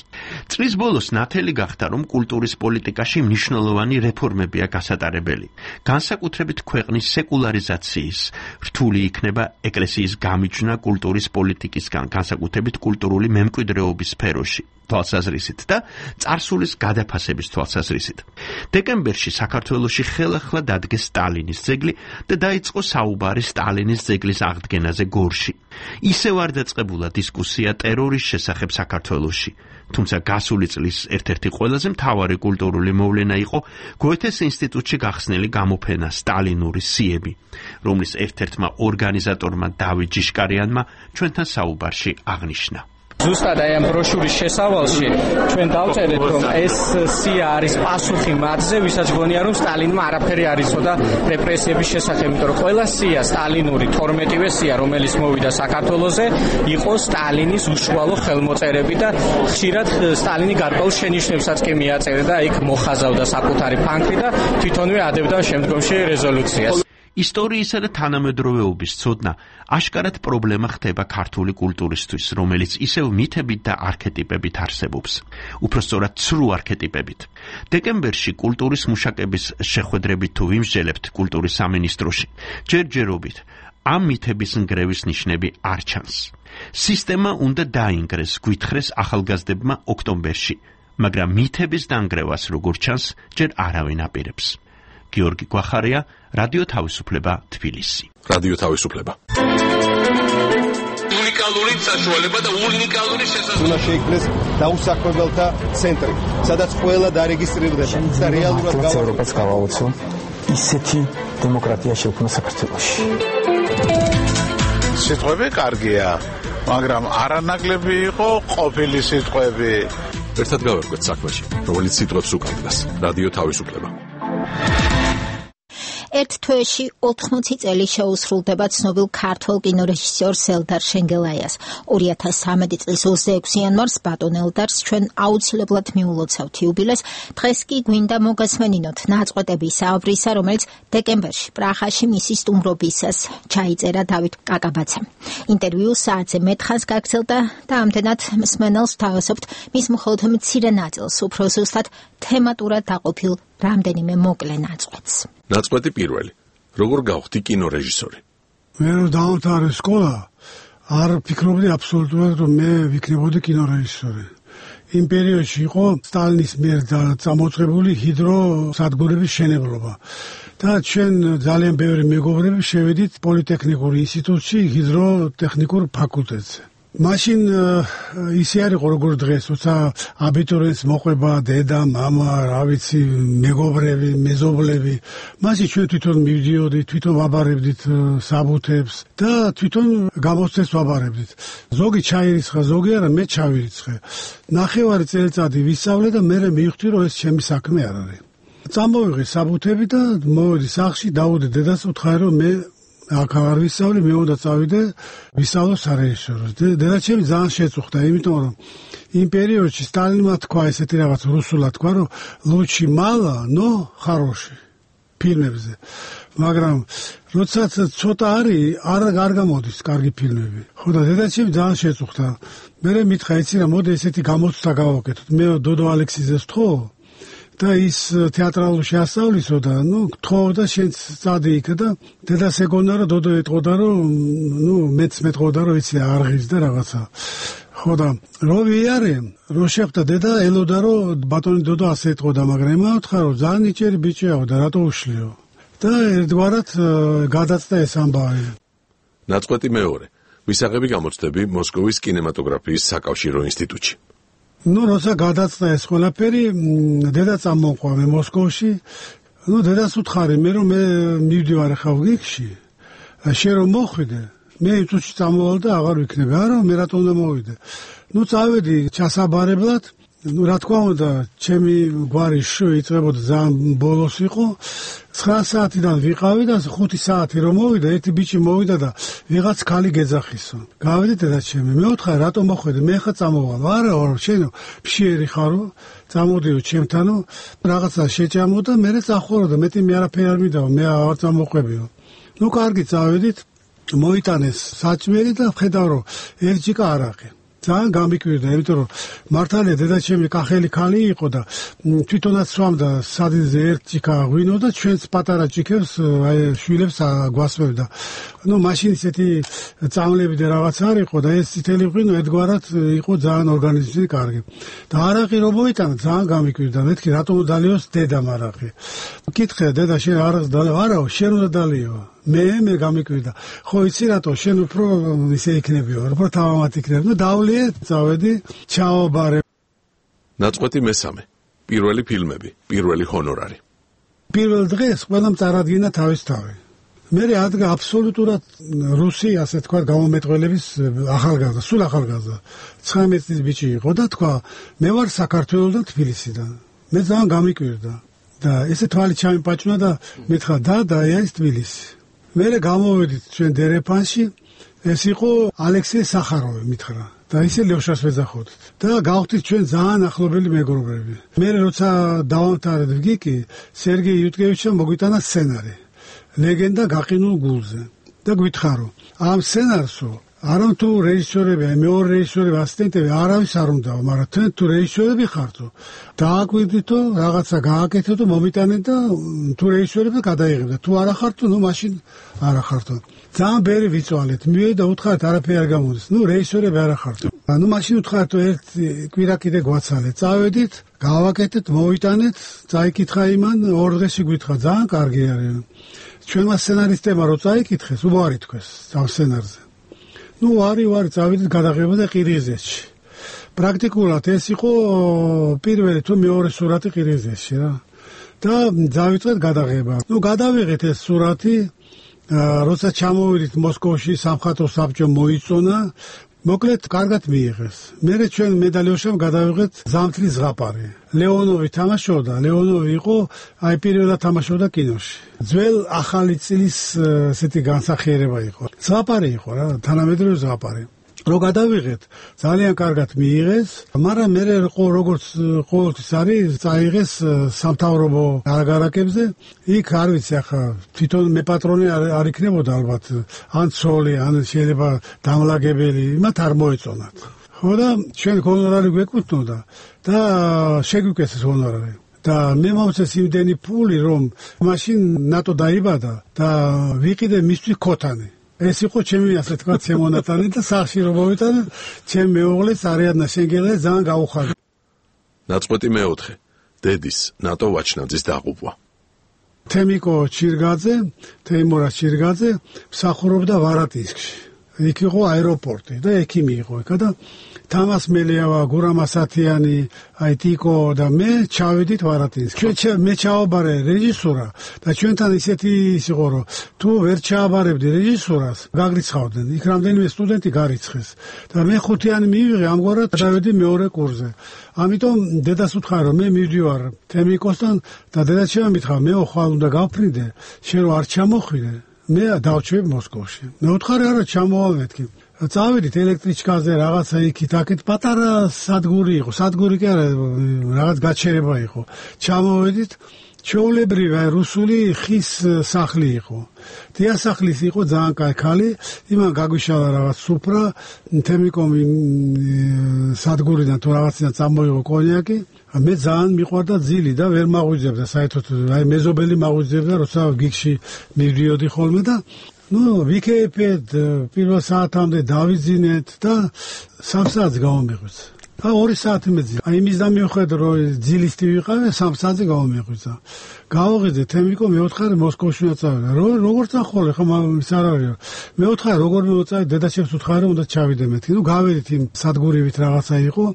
წლის ბოლოს ნათელი გახდა, რომ კულტურის პოლიტიკაში მნიშვნელოვანი რეფორმებია გასატარებელი. განსაკუთრებით ქვეყნის სეკულარიზაციის, რთული იქნება ეკლესიის გამიჯვნა კულტურის პოლიტიკისგან, განსაკუთრებით კულტურული მემკვიდრეობის სფეროში. თვალსაზრისით და წარსულის გადაფასების თვალსაზრისით. დეკემბერში საქართველოში ხელახლა დადგეს სტალინის ძეგლი და დაიწყო საუბარი სტალინის ძეგლის აღდგენაზე გორში. ისევ არ დაწყებულა დისკუსია ტერორის შესახებ საქართველოში. თუმცა გასული წლის ერთ-ერთი ყველაზე მთავარი კულტურული მოვლენა იყო გოეთეს ინსტიტუტში გახსნილი გამოფენა სტალინური სიები, რომლის ერთ-ერთმა ორგანიზატორმა დავით ჯიშკარიანმა ჩვენთან საუბარში აღნიშნა. ზუსტად აი ამ ბროშურის შესავალში ჩვენ დავწერეთ, რომ ეს სია არის პასუხი მათზე, ვისაც გონია, რომ სტალინმა არაფერი არ იცოდა რეპრესიების შესახებ, იმიტომ რომ ყველა სია სტალინური 12-ვე სია, რომელიც მოვიდა საქართველოზე, იყო სტალინის უშუალო ხელმოწერები და ხშირად სტალინი გარკვეულ შენიშვნებსაც კი მიაწერდა და იქ მოხაზავდა საკუთარი ფანქრი და თვითონვე ადებდა შემდგომში რეზოლუციას. ისტორიისა და თანამედროვეობის ცოდნა აშკარად პრობლემა ხდება ქართული კულტურისთვის, რომელიც ისევ მითებით და არქეტიპებით არსებობს. უпростоრად ცრუ არქეტიპებით. დეკემბერში კულტურის მუშაკების შეხვედრებით თუ ვიმსჯელებთ კულტურის სამინისტროში, ჯერჯერობით ამ მითების ნგრევის ნიშნები არ ჩანს. სისტემა უნდა დაინგრეს, გვითხრეს ახალგაზრდებმა ოქტომბერში, მაგრამ მითების დანგრევას როგორც ჩანს, ჯერ არავინ აპირებს. გიორგი გვახარია, რადიო თავისუფლება, თბილისი. რადიო თავისუფლება. უნიკალური საშუალება და უნიკალური შესაძლებლობა. უნდა შეიქმნეს დაუსაქმებელთა ცენტრი, სადაც ყველა დარეგისტრირდება და რეალურად ევროპას გავაუწო ისეთი დემოკრატია შექმნა საქართველოში. სიტყვები კარგია, მაგრამ არანაკლები იყო ყოფილი სიტყვები. ერთად გავერკვეთ საქმეში, რომელიც სიტყვებს უკავშირდება. რადიო თავისუფლება. ერთ თვეში 80 წელი შეუსრულდება ცნობილ ქართველ კინორეჟისორ ელდარ შენგელაიას. 2013 წლის 26 იანვარს ბატონ ელდარს ჩვენ აუცილებლად მიულოცავთ იუბილეს. დღეს კი გვინდა მოგესმენინოთ ნაწყვეტები საუბრისა, რომელიც დეკემბერში პრაღაში მისი სტუმრობისას ჩაიწერა დავით კაკაბაძემ. ინტერვიუ საათზე მეტხანს გაგრძელდა და ამდენად მსმენელს ვთავაზობთ მის მხოლოდ მცირე ნაწილს, უფრო ზუსტად თემატურად დაყოფილ რამდენიმე მოკლე ნაწყვეტს. ნაწყვეტი პირველი. როგორ გავხდი კინორეჟისორი? მე რომ დავამთავრე სკოლა, არ ფიქრობდი აბსოლუტურად, რომ მე ვიქნებოდი კინორეჟისორი. იმ პერიოდში იყო სტალინის მიერ წამოწყებული ჰიდროსადგურების შენებლობა. და ჩვენ ძალიან ბევრი მეგობრები შევედით პოლიტექნიკურ ინსტიტუტში ჰიდროტექნიკურ ფაკულტეტზე. მაშინ ისე არ იყო როგორც დღეს, როცა აბიტურიენტს მოყვება დედა, მამა, რა ვიცი, მეგობრები, მეზობლები. მაშინ ჩვენ თვითონ მივდიოდით, თვითონ ვაბარებდით საბუთებს და თვითონ გამოცდებს ვაბარებდით. ზოგი ჩაირიცხა, ზოგი არა, მე ჩავირიცხე. ნახევარი წელიწადი ვისწავლე და მე მივხვდი, რომ ეს ჩემი საქმე არ არის. წამოვიღე საბუთები და მოვედი სახლში, დავუდი დედას, უთხარი, რომ მე აქ არ ვისწავლე, მე უნდა წავიდე ვისწავლო სარეჟისოროს. დედა ჩემი ძალიან შეწუხდა, იმიტომ რომ იმ პერიოდში სტალინმა თქვა ესეთი რაღაც რუსულად თქვა, რომ ლუჩი მალა, ნო ხაროში ფილმებზე. მაგრამ როდესაც ცოტა არის, არ გამოდის კარგი ფილმები. ხო და დედა ჩემი ძალიან შეწუხდა. მე მითხრა, იცი რა, მოდი ესეთი გამოცდა გავაკეთოთ. მე დოდო ალექსიძეს თხოვ და ის თეატრალურში ასწავლისო და გთხოვ და შენც წადი იქ და დედას ეგონა რომ დოდო ეტყოდა რომ მეც მეტყოდა რომ იცი არღის და რაღაცა. ხო და რო ვიარე, რო შეხვდა დედა ელოდა რომ ბატონი დოდო ასე ეტყოდა, მაგრამ ემაუთხა რომ ძალიან ნიჭიერი ბიჭიაო და რატო უშლიო. და ერთგვარად გადაწდა ეს ამბავი. ნაწყვეტი მეორე. ვისაღები გამოცდები მოსკოვის კინემატოგრაფიის საკავშირო ინსტიტუტში. როცა გადაწდა ეს ყველაფერი, დედა წამოყვა მე მოსკოვში. დედას უთხარი მე რომ მე მივდივარ ახლა ვიგში. შენ რომ მოხვიდე, მე წუთში წამოვალ და აღარ ვიქნები. არა, მე რატომ უნდა მოვიდე? წავედი ჩასაბარებლად. რა თქმა უნდა, ჩემი გვარი იწყებოდა ძალიან ბოლოს იყო. 9 საათიდან ვიყავი და 5 საათი რომ მოვიდა, ერთი ბიჭი მოვიდა და ვიღაც ქალი გეძახისო. გავედი დედა ჩემი, მე უთხარი რატომ მოხვედი? მე ხა წამოვალ. არა, შენ ფშიერი ხარო, წამოდიო ჩემთანო, რაღაცა შეჭამო და მე წახორო და მეტი მე არაფერი არ მიდაო, მე აღარ წამოყვებიო. კარგი წავედით, მოიტანეს საჭმელი და ხედავ რომ ერთჯიკა არაყი. ძალიან გამიკვირდა, იმიტომ რომ მართალია დედაჩემი კახელი ქალი იყო და თვითონაც სვამდა სადილზე ერთ ჭიქა ღვინო და ჩვენს პატარა ჭიქებს აი შვილებს გვასმევდა. ნუ მაშინ ისეთი წამლები და რაღაც არ იყო და ეს წითელი ღვინო ერთგვარად იყო ძალიან ორგანიზმზე კარგი. და არაყი რომ მოიტანა ძალიან გამიკვირდა. მეთქი რატომ დალიოს დედამ არაყი. კითხე დედა შენ არას დალიო? არაო, შენ უნდა დალიო. მე გამიკვირდა. ხო იცი რატო შენ უფრო ისე იქნებიო, უფრო თავამად იქნები. ნუ დავლიე, წავედი, ჩაობარე. ნაწყვეტი მესამე. პირველი ფილმები, პირველი ჰონორარი. პირველ დღეს ყველამ წარადგინა თავის თავი. მე ადგა აბსოლუტურად რუსი, ასე თქვა, გამომეტყველების ახალგაზრდა, სულ ახალგაზრდა. 19 წლის ბიჭი იყო და თქვა, მე ვარ საქართველოსდან თბილისიდან. მე ძალიან გამიკვირდა და ესე თვალი ჩამიპაჭნა და მითხრა და ეს თბილისი. მე გამოვედით ჩვენ დერეფანში, ეს იყო ალექსეი სახაროვი მითხრა. და ისე ლევშას ვეძახოდით და გავხდით ჩვენ ძალიან ახლობელი მეგობრები. მე როცა დავამთავრეთ ვგიკი, სერგეი იუტკევიჩმა მოგვიტანა სცენარი. ლეგენდა გაყინულ გულზე და გითხარო ამ სცენარსო არა თუ რეჟისორები, მეორე რეჟისორები, ასისტენტები არავის არ უნდაო, მაგრამ თქვენ თუ რეჟისორები ხართო, დააკვირდითო, რაღაცა გააკეთეთო, მომიტანეთ და თუ რეჟისორები გადაიღებდა. თუ არა ხართო, ნუ მაშინ არა ხართო. ძალიან ბერი ვიწვალეთ. მივედი და უთხრათ არაფერი არ გამოდის. ნუ რეჟისორები არა ხართო. ნუ მაშინ უთხრათ ერთ კვირა კიდე გვაცალეთ. წავედით, გავაკეთეთ, მოვიტანეთ, წაიკითხა იმან, ორ დღეში გვითხრა, ძალიან კარგი არის. ჩვენმა სცენარისტებმა რო წაიკითხეს, უარი თქვეს ამ სცენარზე. ნუ ვარი წავედით გადაღება და ყირგიზეთში. პრაქტიკულად ეს იყო პირველი თუ მეორე სურათი ყირგიზეთში რა. და დავიწყეთ გადაღება. ნუ გადავიღეთ ეს სურათი, როცა ჩამოვიდით მოსკოვში, სამხატვრო საბჭო მოიწონა, მოკლედ კარგად მიიღეს. მერე ჩვენ მედალიოშამ გადავიღეთ ზამთრის ზღაპარი. ლეონოვი თამაშობდა, ლეონოვი იყო აი პირველად თამაშობდა კინოში. ძველ ახალი წლის ესეთი განსახიერება იყო. ზღაპარი იყო რა, თანამედროვე ზღაპარი. რო გადავიღეთ, ძალიან კარგად მიიღეს, მაგრამ მე როგორც ყოველთვის არის, წაიღეს სამთავრობო აგარაკებზე. იქ არ ვიცი ახლა, თვითონ მე პატრონი არ იქნებოდა ალბათ, ან ცოლი, ან შეიძლება დამლაგებელი, მათ არ მოეწონათ. ხო და ჩვენ ჰონორარი გვეკუთვნოდა და შეგვიკეთეს ჰონორარი. და მე მომწეს იმდენი ფული, რომ მაშინ ნატო დაიბადა და ვიყიდე მისთვის ქოთანი. ეს იყო ჩემი ასე თქვა შემონათალი და სახში რომ მოვიტანე, ჩემ მეუღლეს არიადნა შენგელე ძალიან გაუხარდა. ნაწყვეტი მეოთხე. დედის ნატო ვაჩნაძის დაღუპვა. თემიკო ჩირგაძე, თეიმურა ჩირგაძე მსახურობდა ვარატინსკში. იქ იყო აეროპორტი და ექიმი იყო იქა და თამას მელიავა, გურამ ასათიანი, აი ტიკო და მე ჩავედით ვარატინსკში. მე ჩავაბარე რეჟისურა და ჩვენთან ისეთი ის იყო რომ თუ ვერ ჩააბარებდი რეჟისურას, გაგრიცხავდნენ. იქ რამდენიმე სტუდენტი გარიცხეს და მე ხუთიანი მივიღე, ამგვარად ჩავედი მეორე კურსზე. ამიტომ დედას უთხრა რომ მე მივდივარ თემიკოსთან და დედა შემომითხრა მე ხვალ უნდა გავფრინდე, შენ რო არ ჩამოხვიდე, მე დავჩვევ მოსკოვში. მე უთხარი არა ჩამოვალ მეთქი. წავედით ელექტრიჩკაზე რაღაცა იქით აქეთ პატარა სადგური იყო, სადგური კი არა, რაღაც გაჩერება იყო. ჩამოვედით, ჩვეულებრივი რუსული ხის სახლი იყო. დიასახლის იყო ძალიან კაი ქალი, იმან გაგვიშალა რაღაც სუფრა, თემიკომი სადგურიდან თუ რაღაციდან წამოიღო კონიაკი. მე ძალიან მიყვარდა ძილი და ვერ მაღვიძებდა საერთოდ, აი მეზობელი მაღვიძებდა, როცა გიგში მივდიოდი ხოლმე და ნუ ვიქეიფეთ პირველ საათამდე დავიძინეთ და 3 საათს გავამეღვიძა. და 2 საათი მეძინა. აი იმის და მიუხედავად რომ ძილისტი ვიყავე, 3 საათზე გავამეღვიძა. გავაღიძე თემიკო, მე ვთხარი მოსკოვში წავედა. როგორ წახვალე, ხო ის არ არის. მე ვთხარი როგორ მოვწავე, დედაჩემს ვთხარი უნდა ჩავიდე მეთქი. ნუ გავედით იმ სადგურივით რაღაცა იყო.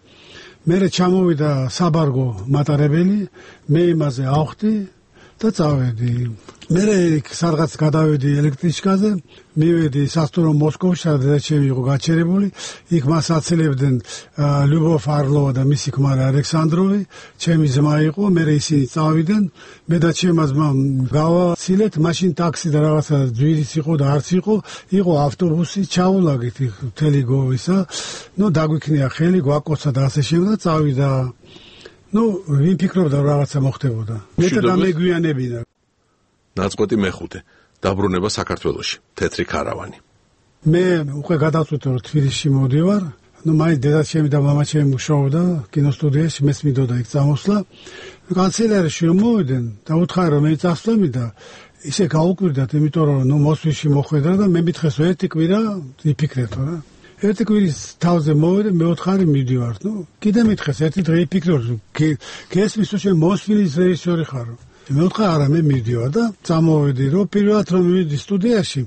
მე ჩამოვიდა საბარგო მატარებელი, მე იმაზე ავხდი და წავედი. მე სადღაც გადავედი ელექტრიჩკაზე, მივედი სასტუმრო მოსკოვში, სადაც იყო გაჩერებული. იქ მას აცელებდნენ ლიუბოვ არლოვა და მისი ქმარი ალექსანდროვი, ჩემი ძმა იყო, მე ისინი წავიდნენ, მე და ჩემმა ძმამ გავაცილეთ, მაშინ ტაქსი და რაღაცა ძვირის იყო და არც იყო, იყო ავტობუსი, ჩაულაგით იქ მთელი გოვისა, ნუ დაგვიქნია ხელი, გვაკოცა და ასე შემდეგ და წავიდა. ნუ ვინ ფიქრობდა რაღაცა მოხდებოდა. მე და მეგვიანებინა. ნაწყვეტი მეხუთე. დაბრუნება საქართველოში. თეთრი ქარავანი. მე უკვე გადავწყვიტე რომ თბილისში მოვდივარ. ნუ მაინც დედაჩემი და მამაჩემი მუშაობდა კინოსტუდიაში, მეც მინდოდა იქ წამოსვლა. კანცელერიაში რომ მოვიდნენ და უთხარი რომ მე წასვლები და ისე გაუკვირდათ, იმიტომ რომ ნუ მოსვლიში მოხვედრა და მე მითხეს ერთი კვირა იფიქრეთო რა. ერთი კვირის თავზე მოვიდე, მე უთხარი მივდივარ, ნუ კიდე მითხეს ერთი დღე იფიქროთ, გესმის რომ მოსვლის რეჟისორი ხარო. მე უთხარი არა, მე მივდივარ და წამოვედი, რომ პირველად რომ მივიდი სტუდიაში,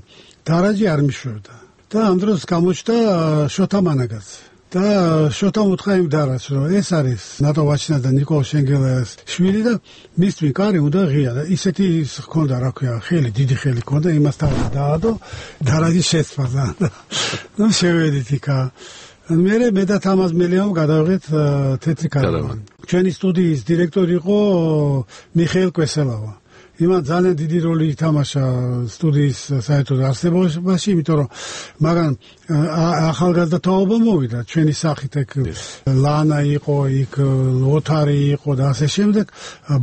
დარაჯი არ მიშვებდა. და ამ დროს გამოჩნდა შოთა მანაგაძე. და შოთამ უთხრა იმ დარას, რომ ეს არის ნატო ვაჩინა და ნიკოლ შენგელაის შვილი და მისთვის კარი უნდა ღია და ისეთი ჰქონდა, რა ქვია, ხელი, დიდი ხელი ჰქონდა, იმასთან დაადო დარაჯი შეცვალა. ნუ შევედით იქა. მე და თამაზ მელიამ გადავიღეთ თეთრი კარავანი. ჩვენი სტუდიის დირექტორი იყო მიხეილ კვესელავა. იმან ძალიან დიდი როლი ითამაშა სტუდიის საერთოდ არსებობაში, იმიტომ რომ მაგან ახალგაზრდა თაობა მოვიდა ჩვენი სახით, ეგ ლანა იყო, იქ ლოთარი იყო და ასე შემდეგ,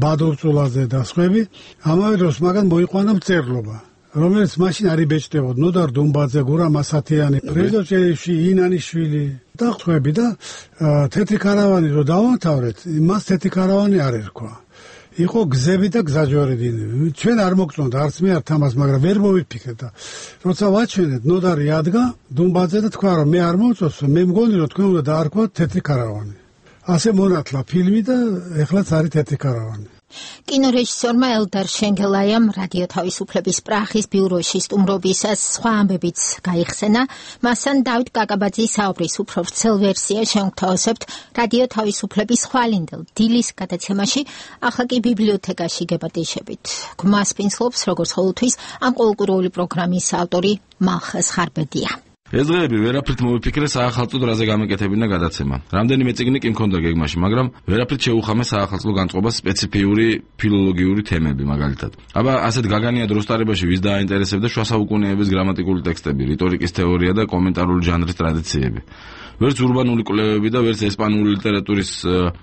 ბადურწულაძე და სხვები. ამავე დროს მაგან მოიყვანა მწერლობა, რომელიც მაშინ არ იბეჭდებოდა. ნოდარ დუმბაძე, გურამ ასათიანი, ფრედო ჭელიშვილი, ინანიშვილი და სხვები და თეთრი კარავანი რო დავამთავრეთ, მას თეთრი კარავანი არ ერქვა. იყო გზები და გზაჯვარედინები. ჩვენ არ მოგწონდა არც მე არ თამას, მაგრამ ვერ მოვიფიქრე და როცა ვაჩვენეთ, ნოდარი ადგა დუმბაძე და თქვა რომ მე არ მოვწონს, მე მგონი რომ თქვენ უნდა დაარქვათ თეთრი კარავანი. ასე მონათლა ფილმი და ეხლაც არის თეთრი კარავანი. კინორეჟისორმა ელდარ შენგელაიამ რადიო თავისუფლების პრახის ბიუროში სტუმრობისას სხვა ამბებიც გაიხსენა. მასთან დავით კაკაბაძის საუბრის უფრო ვრცელ ვერსია შევთავაზებთ რადიო თავისუფლების ხვალინდელ დილის გადაცემაში, ახლა კი ბიბლიოთეკაში გებატიშებით. გმას პინსლობს, როგორც ყოველთვის, ამ ყოველკვირეული პროგრამის ავტორი მალხაზ ხარბედია. ეს დღეები ვერაფრით მოვიფიქრე საახალწლო დრაზე გამეკეთებინა გადაცემა. რამდენიმე წიგნი კი მქონდა გეგმაში, მაგრამ ვერაფრით შეუხამე საახალწლო განწყობას სპეციფიური ფილოლოგიური თემები, მაგალითად. აბა ასეთ გაგანია დროს ტარებაში ვის დააინტერესებდა შუა საუკუნეების გრამატიკული ტექსტები, რიტორიკის თეორია და კომენტარული ჟანრის ტრადიციები. ვერც ურბანული კვლევები და ვერც ესპანური ლიტერატურის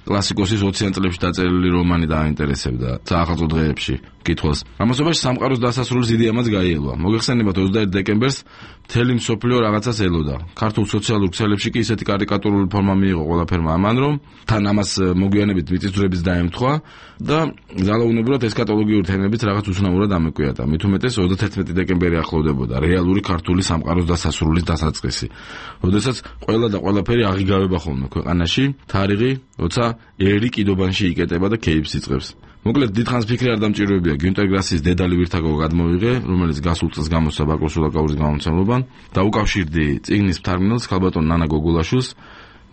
კლასიკოსის 20-იან წლებში დაწერილი რომანი დააინტერესებდა საახალწლო დღეებში კითხვას. ამასობაში სამყაროს დასასრულის იდეამაც გაიელვა. მოგეხსენებათ 21 დეკემბერს მთელი მსოფლიო რაღაცას ელოდა. ქართულ სოციალურ ქსელებში კი ისეთი კარიკატურული ფორმა მიიღო ყველაფერმა ამან, რომ თან ამას მოგვიანებით მიწისძვრების დაემთხვა და ძალაუნებურად ესქატოლოგიური თემებიც რაღაც უცნაურად ამეკვიატა. მით უმეტეს 31 დეკემბერი ახლოვდებოდა, რეალური ქართული სამყაროს დასასრულის დასაწყისი. როდესაც ყველა და ყველაფერი აღიგავება ხოლმე ქვეყანაში, თარიღი, როცა ერი კიდობანში იკეტება და ქეიფს იწყებს. მოკლედ დიდხანს ფიქრი არ დამჭიროებია გიუნტერ გრასის დედალი ვირთაგო გადმოვიღე, რომელიც გასულ წელს გამოსცა ბაკო სულაკაურის გამომცემლობამ და უკავშირდი წიგნის მთარგმნელს ქალბატონ ნანა გოგულაშვილს,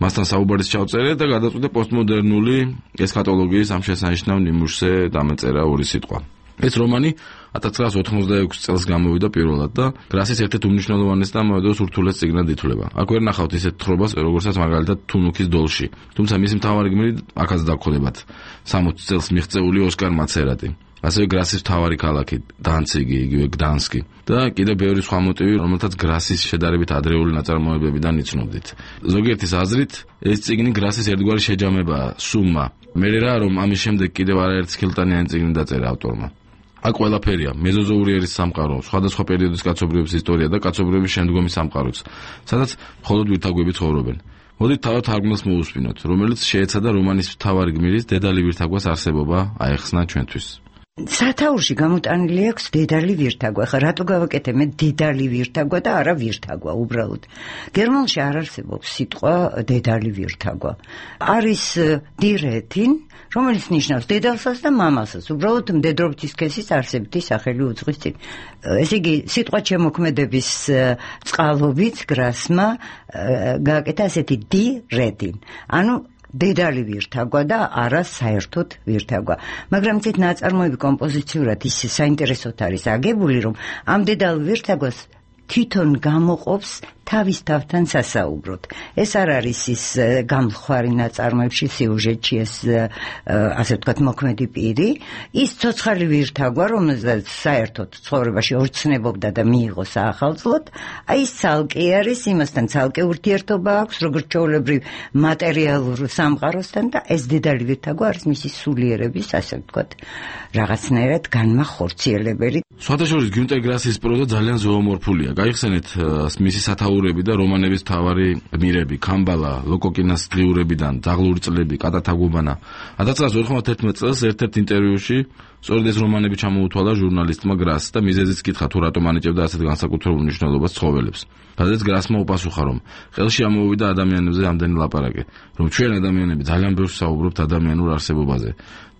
მასთან საუბარის ჩავწერე და გადაწყვიტე პოსტმოდერნული ესქატოლოგიის ამ შესანიშნავ ნიმუშზე დამეწერა ორი სიტყვა. ეს რომანი 1986 წელს გამოვიდა პირველად და გრასის ერთ-ერთ უმნიშვნელოვანეს და ამავდროულად ურთულეს წიგნად ითვლება. აქ ვერ ნახავთ ისეთ თხრობას, როგორცაც მაგალითად თუნუქის დოლში. თუმცა მისი მთავარი გმირი აქაც დაგხვდებათ. 60 წელს მიღწეული ოსკარ მაცერატი. ასევე გრასის მთავარი ქალაქი დანციგი, იგივე გდანსკი და კიდევ ბევრი სხვა მოტივი, რომელთაც გრასის შედარებით ადრეული ნაწარმოებებიდან იცნობდით. ზოგიერთის აზრით, ეს წიგნი გრასის ერთგვარი შეჯამებაა, სუმმა. მე რა რომ ამის შემდეგ კიდევ არაერთი ხილტანიანი წიგნი დაწერა ავტორმა. აქ ყველაფერია, მეზოზოური ერის სამყარო, სხვადასხვა პერიოდის კაცობრიობის ისტორია და კაცობრიობის შემდგომი სამყაროც, სადაც მხოლოდ ვირთაგვები ცხოვრობენ. მოდით თავად თარგმნელს მოусმინოთ, რომელიც შეეცადა რომანის მთავარი გმირის დედალი ვირთაგვას არსებობა აეხსნა ჩვენთვის. სათაურში გამოტანილი აქვს დედალი ვირთაგვა. ხა რატო გავაკეთე მე დედალი ვირთაგვა და არა ვირთაგვა უბრალოდ. გერმანულში არ არსებობს სიტყვა დედალი ვირთაგვა. არის დირეთინ, რომელიც ნიშნავს დედალსაც და მამასაც. უბრალოდ მდედრობითი სქესის არსებითი სახელი უძღვის წინ. ესე იგი სიტყვა შემოქმედების წყალობით გრასმა გააკეთა ასეთი დირეთინ. ანუ დედალი ვირთაგვა და არა საერთოდ ვირთაგვა. მაგრამ ცეთ ნაწარმოები კომპოზიციურად ის საინტერესოდ არის აგებული, რომ ამ დედალ ვირთაგვას თვითონ გამოყოფს თავის თავთან სასაუბროდ. ეს არ არის ის გამხარი ნაწარმოებში სიუჟეტში ეს ასე ვთქვათ მოქმედი პირი, ის ცოცხალი ვირთაგვა, რომელსაც საერთოდ ცხოვრებაში ორცნებობდა და მიიღო საახალწლოდ, აი ეს ცალკე არის, იმასთან ცალკე ურთიერთობა აქვს, როგორც ჩვეულებრივ მატერიალურ სამყაროსთან და ეს დედალი ვირთაგვა არის მისი სულიერების, ასე ვთქვათ, რაღაცნაირად განმახორციელებელი. სხვადასხვა გიუნტერ გრასის პროზა ძალიან ზოომორფულია. გაიხსენეთ მისი სათაური დაურები და რომანების მთავარი გმირები, კამბალა, ლოკოკინას დღიურებიდან, ძაღლური წლები, კატათაგუბანა. 1991 წელს ერთ-ერთ ინტერვიუში სწორედ ეს რომანები ჩამოუთვალა ჟურნალისტმა გრასს და მიზეზიც კითხა თუ რატომ ანიჭებდა ასეთ განსაკუთრებულ მნიშვნელობას ცხოველებს. სადაც გრასმა უპასუხა, რომ ხელში ამოვიდა ადამიანებზე ამდენი ლაპარაკი, რომ ჩვენ ადამიანები ძალიან ბევრს საუბრობთ ადამიანურ არსებობაზე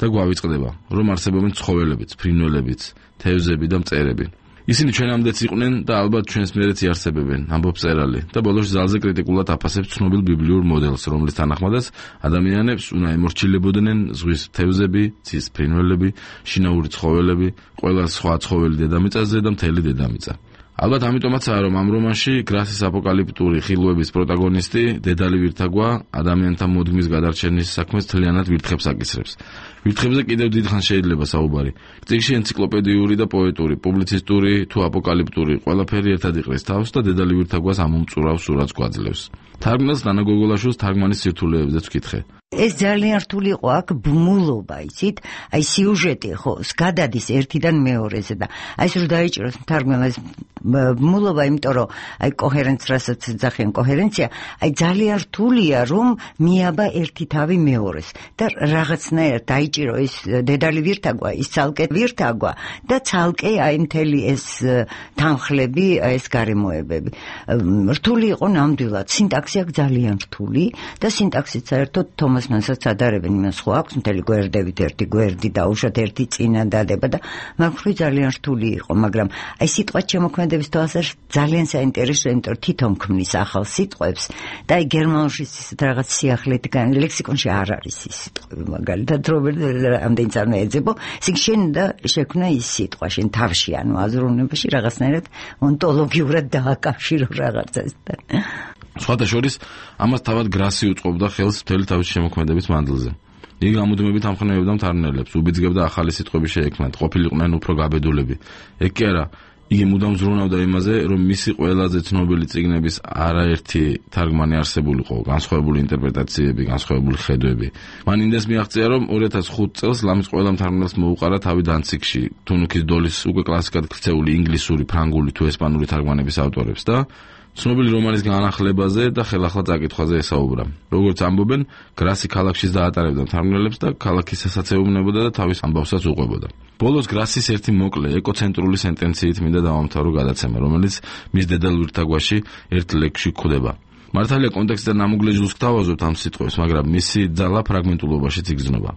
და გვავიწყდება, რომ არსებობენ ცხოველებიც, ფრინველებიც, თევზები და მწერები. ისინი ჩვენამდეც იყვნენ და ალბათ ჩვენს მიერეც იარსებებენ, ამბობს მწერალი და ბოლოს ძალზე კრიტიკულად აფასებს ცნობილ ბიბლიურ მოდელს, რომლის თანახმადაც ადამიანებს უნდა ემორჩილებოდნენ ზღვის თევზები, ცის ფრინველები, შინაური ცხოველები, ყველა სხვა ცხოველი დედამიწაზე და მთელი დედამიწა. ალბათ ამიტომაცაა, რომ ამ რომანში გრასის აპოკალიფტური ხილვების პროტაგონისტი, დედალი ვირთაგვა, ადამიანთა მოდგმის გადარჩენის საქმეს თლიანად ვირთხებს აკისრებს. ვირთხებზე კიდევ დიდხანს შეიძლება საუბარი. წიგნში ენციკლოპედიური და პოეტური, პუბლიცისტური თუ აპოკალიფტური ყველაფერი ერთად იყრის თავს და დედალი ვირთაგვას ამომწურავ სურათს გვაძლევს. თარგმნელს ნანა გოგოლაშვილს თარგმანის სირთულეებზეც ვკითხე. ეს ძალიან რთული იყო აქ ბმულობა, იცით? აი სიუჟეტი ხო, გადადის ერთიდან მეორეზე და აი ეს რომ დაიჭიროს თარგმნელს ბმულობა, იმიტომ რომ აი კოჰერენცია, რასაც ძახიან კოჰერენცია, აი ძალიან რთულია რომ მიაბა ერთი თავი მეორეს და რაღაცნაირად დაიჭირო ეს დედალი ვირთაგვა, ის ცალკე ვირთაგვა და ცალკე აი მთელი ეს თანხლები, ეს გარემოებები. რთული იყო ნამდვილად, სინტაქსი აქ ძალიან რთული და სინტაქსიც საერთოდ თომასმანსაც ადარებენ იმას ხო აქვს მთელი გვერდებით ერთი გვერდი დაუშვათ ერთი წინადადება და მაგხრი ძალიან რთული იყო, მაგრამ აი სიტყვა შემოქმედების თვალსაზრისით ძალიან საინტერესოა, იმიტომ რომ თვითონ ქმნის ახალ სიტყვებს და აი გერმანულში ისეთ რაღაც სიახლეით ლექსიკონში არ არის ის სიტყვები, მაგალითად ამდენი წარმო ეძებო, ისინი შენ და შექმნა ის სიტყვა შენ თავში, ანუ აზროვნებაში რაღაცნაირად ონტოლოგიურად დააკავშირო რაღაცასთან. სხვათა შორის ამას თავად გრასი უწყობდა ხელს მთელი თავის შემოქმედების მანძილზე. იგი გამუდმებით ამხნევებდა მთარგმნელებს, უბიძგებდა ახალი სიტყვები შეექმნათ, ყოფილიყვნენ უფრო გაბედულები. ეგ კი არა, იგი მუდამ ზრუნავდა იმაზე, რომ მისი ყველაზე ცნობილი წიგნების არაერთი თარგმანი არსებულიყო, განსხვავებული ინტერპრეტაციები, განსხვავებული ხედვები. მან ინდეს მიაღწია, რომ 2005 წელს ლამის ყველა მთარგმნელს მოუყარა თავი დანციგში, თუნუქის დოლის უკვე კლასიკად ქცეული ინგლისური, ფრანგული თუ ესპანური თარგმანების ავტორებს და ცნობილი რომანის განახლებაზე და ხელახლა წაკითხვაზე ესაუბრა. როგორც ამბობენ, გრასი ქალაქშიც დაატარებდა მთარგმნელებს და ქალაქის სასაცეუბნებოდა და თავის ამბავსაც უყვებოდა. ბოლოს გრასის ერთი მოკლე, ეკოცენტრული სენტენციით მინდა დავამთავრო გადაცემა, რომელიც მის დედალ ვირთაგვაში ერთ ლექსში გვხვდება. მართალია კონტექსტიდან ამუგლეჯულს გთავაზობთ ამ სიტყვებს, მაგრამ მისი ძალა ფრაგმენტულობაშიც იგრძნობა.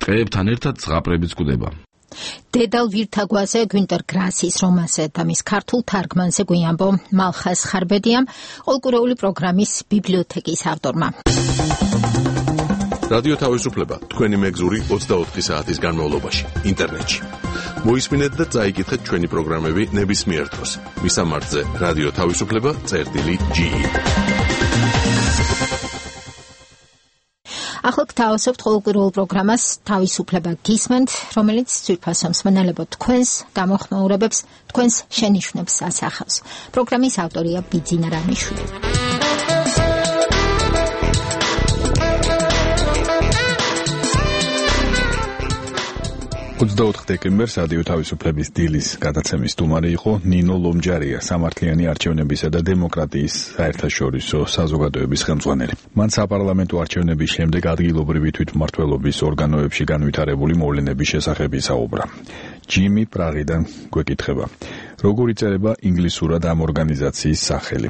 ტყეებთან ერთად ზღაპრებიც გვხვდება. დედალ ვირთაგვაზე გვინტერ გრასის რომანზე და მის ქართულ თარგმანზე გვიამბო მალხას ხარბედიამ, ყოველკვირეული პროგრამის ბიბლიოთეკის ავტორმა. რადიო თავისუფლება თქვენი მეგზური 24 საათის განმავლობაში ინტერნეტში. მოისმინეთ და წაიკითხეთ ჩვენი პროგრამები ნებისმიერ დროს. მისამართზე რადიო თავისუფლება.ge. ახლა გთავაზობთ ყოველკვირეულ პროგრამას თავისუფლება გისმენთ, რომელიც ძვირფასო მსმენელებო თქვენს გამოხმაურებებს, თქვენს შენიშვნებს ასახავს. პროგრამის ავტორია ბიძინა რამიშვილი. 24 დეკემბერს რადიო თავისუფლების დილის გადაცემის სტუმარი იყო ნინო ლომჯარია, სამართლიანი არჩევნებისა და დემოკრატიის საერთაშორისო საზოგადოების ხელმძღვანელი. მან საპარლამენტო არჩევნების შემდეგ ადგილობრივი თვითმმართველობის ორგანოებში განვითარებული მოვლენების შესახებ ისაუბრა. ჯიმი პრაღიდან გვეკითხება, როგორ იწერება ინგლისურად ამ ორგანიზაციის სახელი.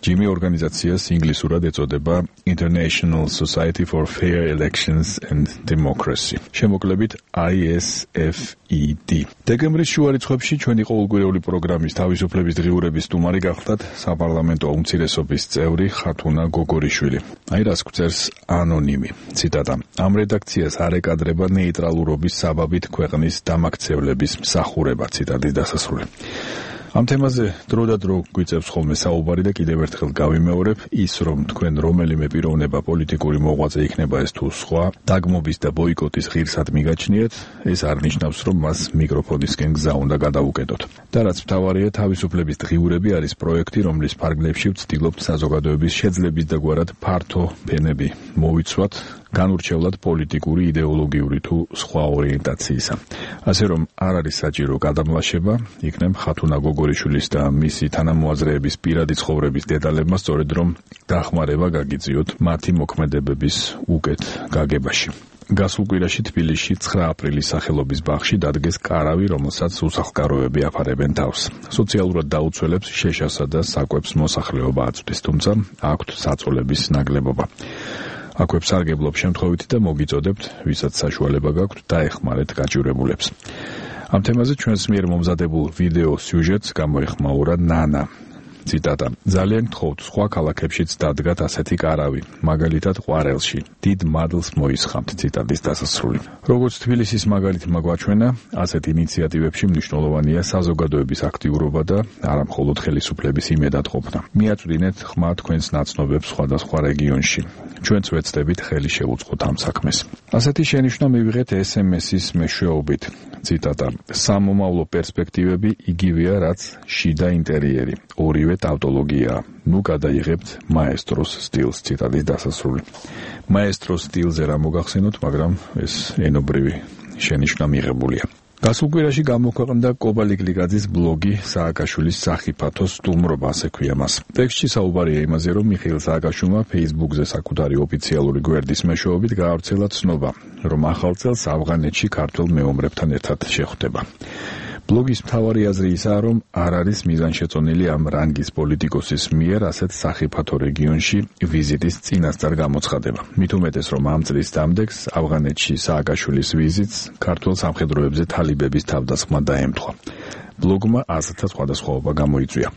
ჯიმი ორგანიზაციას ინგლისურად ეწოდება International Society for Fair Elections and Democracy. შემოკლებით ISFED. დეკემბრის შუა რიცხვებში ჩვენი ყოველკვირეული პროგრამის თავისუფლების დღიურების სტუმარი გახლდათ საპარლამენტო უმცირესობის წევრი ხათუნა გოგორიშვილი. აი რას გვწერს ანონიმი. ციტატა. ამ რედაქციას არ ეკადრება ნეიტრალურობის საბაბით ქვეყნის დამაქცევლების მსახურება. ციტატის დასასრული. ამ თემაზე დრო და დრო გვიწევს ხოლმე საუბარი და კიდევ ერთხელ გავიმეორებ, ის რომ თქვენ რომელიმე პიროვნება პოლიტიკური მოღვაწე იქნება ეს თუ სხვა, დაგმობის და ბოიკოტის ღირსად მიგაჩნიეთ, ეს არ ნიშნავს, რომ მას მიკროფონისკენ გზა უნდა გადაუკეტოთ. და რაც მთავარია, თავისუფლების დღიურები არის პროექტი, რომლის ფარგლებში ვცდილობთ საზოგადოების შეძლების და გვარად ფართო ფენები მოვიცვათ, განურჩევლად პოლიტიკური, იდეოლოგიური თუ სხვა ორიენტაციისა. ასე რომ არ არის საჭირო გადამლაშება, იქნებ ხათუნა გოგორიშვილის და მისი თანამოაზრეების პირადი ცხოვრების დეტალებმა სწორედ რომ დახმარება გაგიწიოთ მათი მოქმედებების უკეთ გაგებაში. გასულ კვირაში თბილისში 9 აპრილის სახელობის ბაღში დადგეს კარავი, რომელსაც უსახლკაროები აფარებენ თავს. სოციალურად დაუცველებს შეშასა და საკვებს მოსახლეობა აწვდის, თუმცა აქვთ საწოლების ნაკლებობა. აქვე სარგებლობ შემთხვევითი და მოგიწოდებთ, ვისაც საშუალება გაქვთ, დაეხმარეთ გაჭირებულებს. ამ თემაზე ჩვენს მიერ მომზადებულ ვიდეო სიუჟეტს გამოეხმაურა ნანა. ციტატა: ძალიან გთხოვთ, სხვა ქალაქებშიც დადგათ ასეთი კარავი, მაგალითად ყვარელში. დიდ მადლს მოისხამთ. ციტატის დასასრული. როგორც თბილისის მაგალითი მაგვაჩვენა, ასეთ ინიციატივებში მნიშვნელოვანია საზოგადოების აქტიურობა და არა მხოლოდ ხელისუფლების იმედად ყოფნა. მიაწვდინეთ ხმა თქვენს ნაცნობებს სხვადასხვა რეგიონში. ჩვენც ვეცდებით ხელი შევუწყოთ ამ საქმეს. ასეთი შენიშვნა მივიღეთ SMS-ის მეშვეობით. ციტატა: სამომავლო პერსპექტივები იგივეა, რაც შიდა ინტერიერი. ორივე ტავტოლოგიაა. ნუ გადაიღებთ მაესტროს სტილს. ციტატის დასასრული. მაესტროს სტილზე რა მოგახსენოთ, მაგრამ ეს ენობრივი შენიშვნა მიღებულია. გასულ კვირაში გამოქვეყნდა კობა ლიკლიკაძის ბლოგი სააკაშვილის სახიფათო სტუმრობა, ასე ქვია მას. ტექსტში საუბარია იმაზე, რომ მიხეილ სააკაშვილმა Facebook-ზე საკუთარი ოფიციალური გვერდის მეშვეობით გაავრცელა ცნობა, რომ ახალ წელს ავღანეთში ქართველ მეომრებთან ერთად შეხვდება. ბლოგის მთავარი აზრი ისაა, რომ არ არის მიზანშეწონილი ამ რანგის პოლიტიკოსის მიერ ასეთ სახიფათო რეგიონში ვიზიტის წინასწარ გამოცხადება. მით უმეტეს, რომ ამ წლის დამდეგს ავღანეთში სააკაშვილის ვიზიტს ქართულ სამხედროებზე თალიბების თავდასხმა დაემთხვა. ბლოგმა აზრთა სხვადასხვაობა გამოიწვია.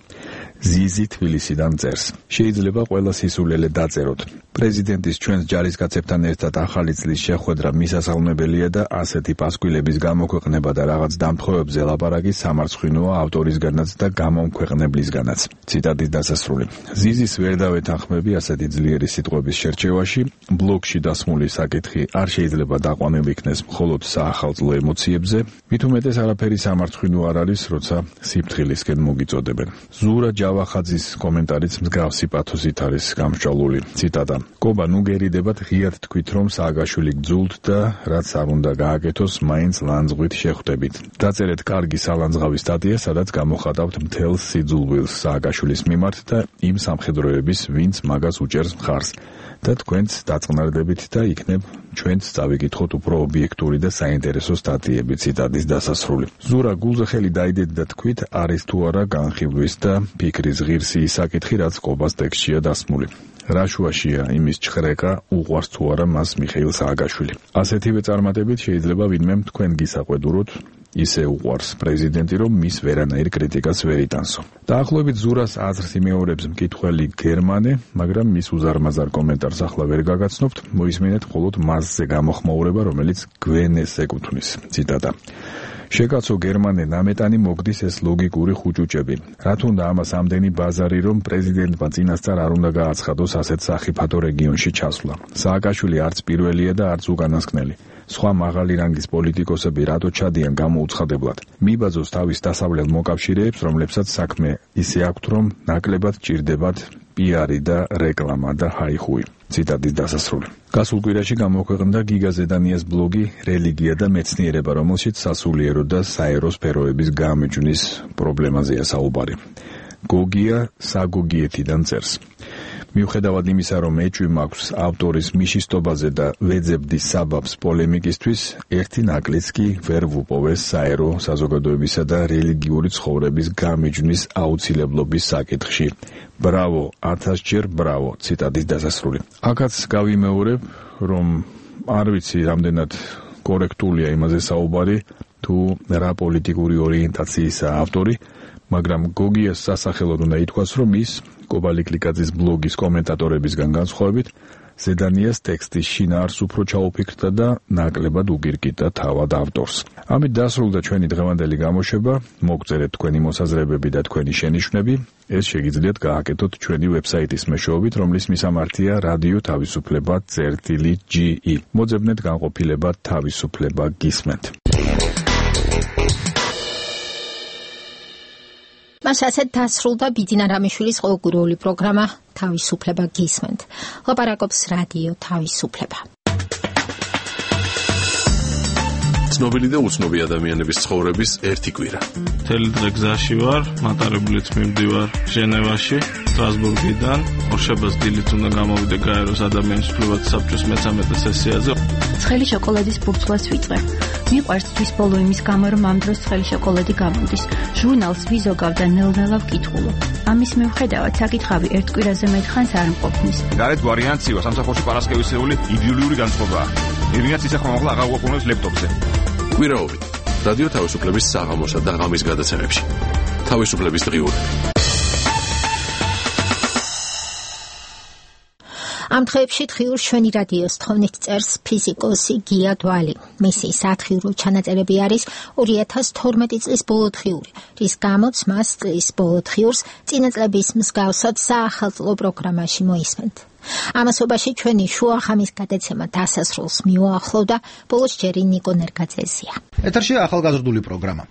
ზიზი თბილისიდან წერს: შეიძლება ყველა სისულელე დაწეროთ. პრეზიდენტის ჩვენს ჯარისკაცებთან ერთად ახალი წლის შეხვედრა მისასალმებელია და ასეთი პასკვილების გამოქვეყნება და რაღაც დამთხოვებზე ლაპარაკი სამარცხვინოა ავტორისგანაც და გამომქვეყნებლისგანაც. ციტატის დასასრული. ზიზის ვერ დავეთანხმები ასეთი ძლიერი სიტყვების შერჩევაში. ბლოგში დასმული საკითხი არ შეიძლება დაყვანილი იქნეს მხოლოდ საახალწლო ემოციებზე. მით უმეტეს არაფერი სამარცხვინო არ არის, როცა სიფრთხილისკენ მოგიწოდებენ. ზურა ჯავახაძის კომენტარიც მსგავსი პათოსით არის გამსჭვალული. ციტატა: კობა, ნუ გერიდებათ, ღიად თქვით, რომ სააკაშვილი გძულთ და რაც არ უნდა გააკეთოს, მაინც ლანძღვით შეხვდებით. დაწერეთ კარგი სალანძღავი სტატია, სადაც გამოხატავთ მთელს სიძულვილს სააკაშვილის მიმართ და იმ სამხედროების, ვინც მაგას უჭერს მხარს. და თქვენც დაწყნარდებით და იქნებ ჩვენც წავიკითხოთ უფრო ობიექტური და საინტერესო სტატიები. ციტატის დასასრული. ზურა გულზე ხელი დაიდეთ და თქვით, არის თუ არა განხილვის და ფიქრის ღირსი ის საკითხი, რაც კობას ტექსტშია დასმული. რა შუაშია იმის ჩხრეკა, უყვარს თუ არა მას მიხეილ სააკაშვილი. ასეთივე წარმატებით შეიძლება ვინმემ თქვენ გისაყვედუროთ, ისე უყვარს პრეზიდენტი, რომ მის ვერანაირ კრიტიკას ვერ იტანსო. დაახლოებით ზურას აზრს იმეორებს მკითხველი გერმანე, მაგრამ მის უზარმაზარ კომენტარს ახლა ვერ გაგაცნობთ, მოისმინეთ მხოლოდ მასზე გამოხმაურება, რომელიც გვენეს ეკუთვნის. ციტატა: შეკაცო გერმანე, ნამეტანი მოგდის ეს ლოგიკური ხუჭუჭები. რა თუნდა ამას ამდენი ბაზარი, რომ პრეზიდენტმა წინასწარ არ უნდა გააცხადოს ასეთ სახიფათო რეგიონში ჩასვლა. სააკაშვილი არც პირველია და არც უკანასკნელი. სხვა მაღალი რანგის პოლიტიკოსები რატო ჩადიან გამოუცხადებლად? მიბაძოს თავის დასავლელ მოკავშირეებს, რომლებსაც საქმე ისე აქვთ, რომ ნაკლებად ჭირდებათ პიარი და რეკლამა და ჰაიხუი. ციტატის დასასრული. გასულ კვირაში გამოქვეყნდა გიგა ზედანიას ბლოგი რელიგია და მეცნიერება, რომელშიც სასულიერო და საერო სფეროების გამეჯვნის პრობლემაზეა საუბარი. გოგია საგოგიეთიდან წერს: მიუხედავად იმისა, რომ ეჭვი მაქვს ავტორის მიშისტობაზე და ვეძებდის საბაბს პოლემიკისთვის, ერთი ნაკლიც კი ვერ ვუპოვეს საერო საზოგადოებისა და რელიგიური ცხოვრების გამეჯვნის აუცილებლობის საკითხში. ბრავო, 1000-ჯერ ბრავო. ციტატის დასასრული. აქაც გავიმეორებ, რომ არ ვიცი რამდენად კორექტულია იმაზე საუბარი, თუ რა პოლიტიკური ორიენტაციისაა ავტორი, მაგრამ გოგიას სასახელოდ უნდა ითქვას, რომ ის კობა ლიკლიკაძის ბლოგის კომენტატორებისგან განსხვავებით ზედანიას ტექსტის შინაარს უფრო ჩაუფიქრდა და ნაკლებად უგირკიტა თავად ავტორს. ამით დასრულდა ჩვენი დღევანდელი გამოშვება. მოგწერეთ თქვენი მოსაზრებები და თქვენი შენიშვნები. ეს შეგიძლიათ გააკეთოთ ჩვენი ვებსაიტის მეშვეობით, რომლის მისამართია რადიო თავისუფლება.ge. მოძებნეთ განყოფილება თავისუფლება გისმენთ. მას ასეთ დასრულდა ბიძინა რამიშვილის ყოველკვირეული პროგრამა თავისუფლება გისმენთ. ლაპარაკობს რადიო თავისუფლება. ცნობილი და უცნობი ადამიანების ცხოვრების ერთი კვირა. მთელი დღე გზაში ვარ, მატარებლით მივდივარ ჟენევაში, სტრასბურგიდან. ორშაბათს დილით უნდა გამოვიდე გაეროს ადამიანის უფლებათა საბჭოს მე-13 სესიაზე. ცხელი შოკოლადის ბურთულას ვიწვე. მიყვარს თვის ბოლო იმის გამო, რომ ამ დროს ცხელი შოკოლადი გამოდის. ჟურნალს ვიზოგავ და ნელ-ნელა ვკითხულობ. ამის მიუხედავად საკითხავი ერთ კვირაზე მეტხანს არ მყოფნის. გარეთ გვარიანტ სივა სამსახურში პარასკევისეული იდილიური განწყობაა. ირინაც ისახმა მაღლა აღარ გვაყუნებს ლეპტოპზე. კვირაობით რადიო თავისუფლების საღამოსა და ღამის გადაცემებში. თავისუფლების დღიური. ამ დღეებში თხიურს ჩვენი რადიოს თხოვნით წერს ფიზიკოსი გია დვალი. მისი სათხიურო ჩანაწერები არის 2012 წლის ბოლო თხიური, რის გამოც მას წლის ბოლო თხიურს წინა წლების მსგავსად საახალწლო პროგრამაში მოისმენთ. ამასობაში ჩვენი შუახამის გადაცემა დასასრულს მიუახლოვდა, ბოლოს ჯერი ნიკო ნერგაძეზია. ეთერშია ახალგაზრდული პროგრამა.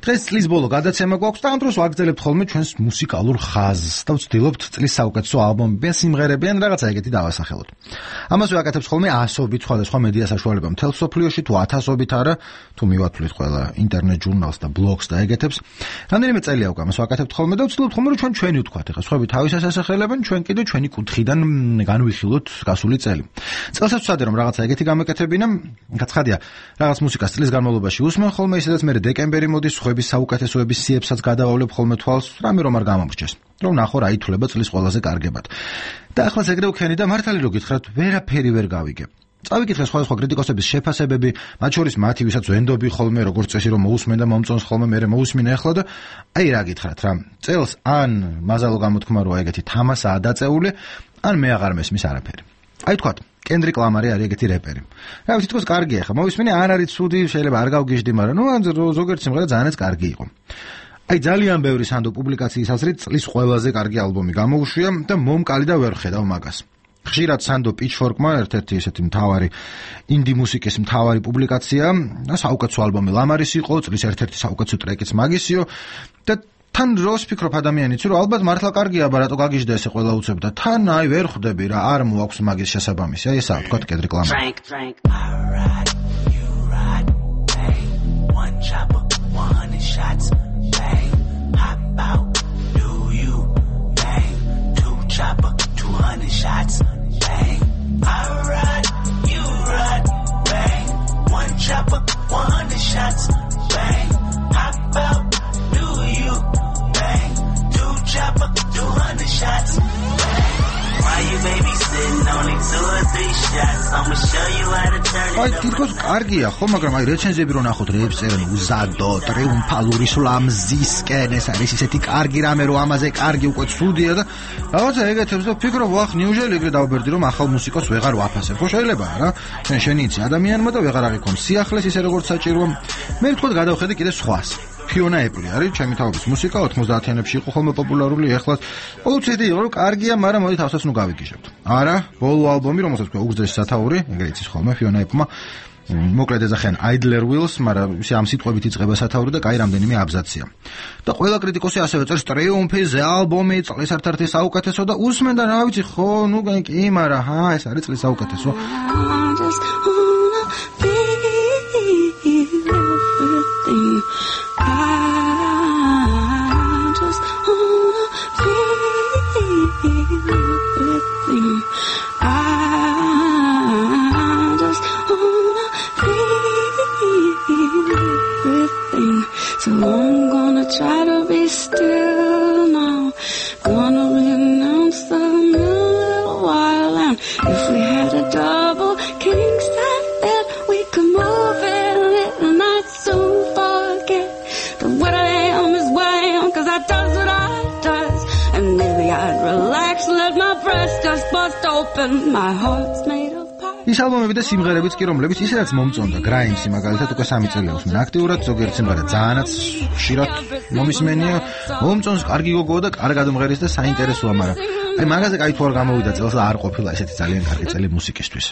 დღეს წლის ბოლო გადაცემა გვაქვს და ამ დროს ვაგრძელებთ ხოლმე ჩვენს მუსიკალურ ხაზს და ვცდილობთ წლის საუკეთესო ალბომები ან სიმღერები ან რაღაცა ეგეთი დავასახელოთ. ამას ვაკეთებთ ხოლმე ასობით სხვადასხვა მედია საშუალება მთელ სოფლიოში, თუ 1000-ობით არა, თუ მივათვლით ყველა ინტერნეტ ჟურნალს და ბლოგს და ეგეთებს. რამდენიმე წელია უკვე ამას ვაკეთებთ ხოლმე და ვცდილობთ ხოლმე რომ ჩვენი ვთქვათ, ეხლა სხვები თავისას ასახელებენ, ჩვენ კიდე ჩვენი კუთხიდან განვიხილოთ გასული წელი. წელსაც ვცადე რომ რაღაცა ეგეთი გამეკეთებინა, გაცხადია, რაღაც მუსიკას წლის განმავლობაში უსმენ ხოლმე, ისედაც მე დეკემბერი მოდის, სხვების საუკეთესოების სიებსაც გადავავლებ ხოლმე თვალს, რამე რომ არ გამომრჩეს. რომ ნახო რა ითვლება წლის ყველაზე კარგებად. და ახლა ეგრე ვქენი და მართალი რო გითხრათ, ვერაფერი ვერ გავიგებ. წავიკითხე სხვადასხვა კრიტიკოსების შეფასებები, მათ შორის მათი, ვისაც ვენდობი ხოლმე, როგორც წესი რომ მოусმენ და მომწონს ხოლმე, მე მოусმინე ახლა და აი რა გითხრათ რა. წელს ან მაზალო გამოთქმა რომ ეგეთი თამასაა დაწეული, ან მე აღარ მესმის არაფერი. აი თქვათ, კენდრიკ ლამარი არის ეგეთი რეპერი. რა ვიცი, თქოს კარგია ხა, მოვისმენე არ არის ცუდი, შეიძლება არ გავგიჟდი, მაგრამ ზოგიერთი სიმღერა ძალიანაც კარგი იყო. აი ძალიან ბევრი სანდო პუბლიკაციის აზრით წლის ყველაზე კარგი ალბომი გამოუშვია და მომკალი და ვერ ხედავ მაგას. ხშირად სანდო პიჩფორკმა ერთ-ერთი ესეთი მთავარი ინდი მუსიკის მთავარი პუბლიკაცია და საუკეთესო ალბომი ლამარის იყო, წლის ერთ-ერთი საუკეთესო ტრეკიც მაგისიო და თან დროს ფიქრობ ადამიანიც რომ ალბათ მართლა კარგია, რატო გაგიჟდა ესე ყველა უცებ და თან აი ვერ ხვდები რა, არ მოაქვს მაგის შესაბამისი. აი ესაა თქვა კენდრიკ ლამარი. აი თითქოს კარგია ხო, მაგრამ აი რეცენზიები რო ნახოთ, რეებს წერენ უზადო, ტრიუმფალური სლამზისკენ, ეს არის ისეთი კარგი რამე, რომ ამაზე კარგი უკვე ცუდია და რაღაცა ეგეთებს და ფიქრობ, ვახ, ნიუჟელი ეგრე დავბერდი, რომ ახალ მუსიკოს ვეღარ ვაფასებ. ხო შეიძლება რა? შენი იცი ადამიანმა და ვეღარ აღიქონ სიახლეს ისე როგორც საჭიროა. მე ვთქვათ გადავხედე კიდე სხვას. ფიონა ეპლი არის ჩემი თავის მუსიკა 90-იანებში იყო ხოლმე პოპულარული, ეხლა ყოველთვის იყო რომ კარგია, მაგრამ მოდი თავსაც ნუ გავიგიჟებთ. არა, ბოლო ალბომი, რომელსაც თქვა უგზეს სათაური, ეგრე იცის ხოლმე ფიონა ეპლმა. მოკლედ ეძახიან Idler Wheels, მაგრამ ისე ამ სიტყვებით იწყება სათაური და კაი რამდენიმე აბზაცია. და ყველა კრიტიკოსი ასევე წერს ტრიუმფის ალბომი, წლის ერთ-ერთი საუკეთესო და უსმენ და რა ვიცი ხო, ნუ კი, მაგრამ ეს არის წლის საუკეთესო. So I'm gonna try to be still now. Gonna renounce the little while, and if we had a double king size bed, we could move in it and I'd soon forget that what I am is what I am, 'cause I does what I does, and maybe I'd relax, let my breast just bust open. My heart's made of ის ალბომები და სიმღერებიც კი რომლებიც ისედაც მომწონდა, გრაიმსი მაგალითად უკვე 3 წელია უსმენ აქტიურად, ზოგიერთი სიმღერა ძალიანაც ხშირად მომისმენია, მომწონს, კარგი გოგოა და კარგად მომღერის და საინტერესოა, მაგრამ აი მაგაზე კაი თუ არ გამოვიდა წელს და არ ყოფილა ესეთი ძალიან კარგი წელი მუსიკისთვის.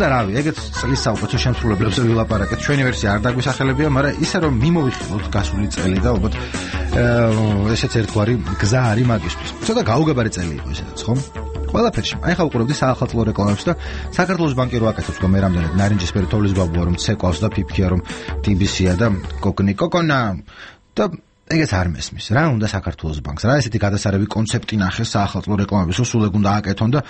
და რავი, ეგეც წლის საუკეთესო შემსრულებლებზე ვილაპარაკეთ. ჩვენი ვერსია არ დაგვისახელებია, მაგრამ ისე რომ მიმოვიხილოთ გასული წელი და ალბათ ესეც ერთგვარი გზა არის მაგისთვის. ცოტა გაუგებარი წელი იყო ესეც, ხო? ყველაფერში. აი ხა უყურებდი საახალწლო რეკლამებს და საქართველოს ბანკი რო აკეთებს რომ მე რამდენად ნარინჯისფერი თოვლის ბაბუა რომ ცეკვავს და ფიფქია რომ TBC-ია და კოკონა და ეგეც არ მესმის. რა უნდა საქართველოს ბანკს? რა ესეთი გადასარევი კონცეპტი ნახეს საახალწლო რეკლამების, რომ სულ ეგ უნდა ააკეთონ და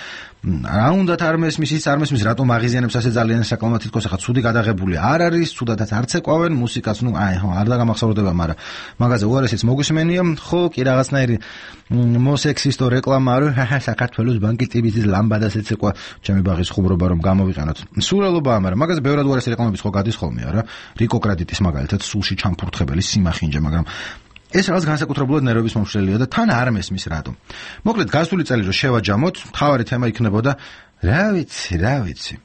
რა უნდათ არ მესმის, ის არ მესმის, რატომ აღიზიანებს ასე ძალიან საკლამად თითქოს ახლა ცუდი გადაღებული არ არის, ცუდადაც არ ცეკვავენ მუსიკას, არ დაგამახსოვრდება, მაგრამ მაგაზე უარესიც მოგვისმენია, ხო, კი რაღაცნაირი მოსექსისტო რეკლამა არის, საქართველოს ბანკი TBC-ს ლამბადას ეცეკვა, ჩემი ბაღის ხუმრობა რომ გამოვიყენოთ. სურელობაა, მაგრამ მაგაზე ბევრად უარესი რეკლამების ხო გადის ხოლმე, არა? რიკო კრედიტის მაგალითად სულში ჩამფურთხებელი სიმახინჯე, მაგრამ ეს რაღაც განსაკუთრებულად ნერვების მომშლელია და თან არ მესმის რატომ. მოკლედ გასული წელი რო შევაჯამოთ, მთავარი თემა იქნებოდა რა ვიცი.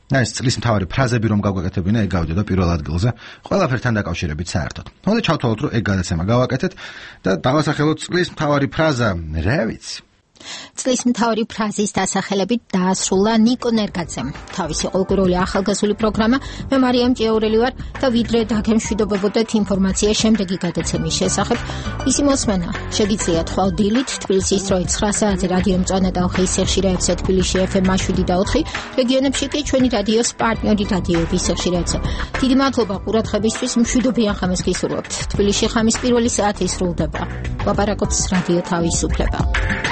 ეს წლის მთავარი ფრაზები რომ გავაკეთებინა, ეგ გავიდოდა პირველ ადგილზე, ყველაფერთან დაკავშირებით საერთოდ. მოდი ჩავთვალოთ, რომ ეგ გადაცემა გავაკეთეთ და დავასახელოთ წლის მთავარი ფრაზა, რა ვიცი. წლის მთავარი ფრაზის დასახელებით დაასრულა ნიკო ნერგაძემ. თავისი ყოველკვირეული ახალგაზრდული პროგრამა მე მარიამ ჭიაურელი ვარ და ვიდრე დაგემშვიდობებოდეთ ინფორმაცია შემდეგი გადაცემის შესახებ, ისი მოსმენა შეგიძლიათ ხვალ დილით თბილისის დროით 9 საათზე რადიო მწვანე და ხის სიხშირეებზე თბილისში FM 7 და 4, რეგიონებში კი ჩვენი რადიოს პარტნიორი რადიოების სიხშირეებზე. დიდი მადლობა ყურადღებისთვის, მშვიდობიან ხამს გისურვებთ. თბილისში ხამის პირველი საათი სრულდება. ლაპარაკობს რადიო თავისუფლება.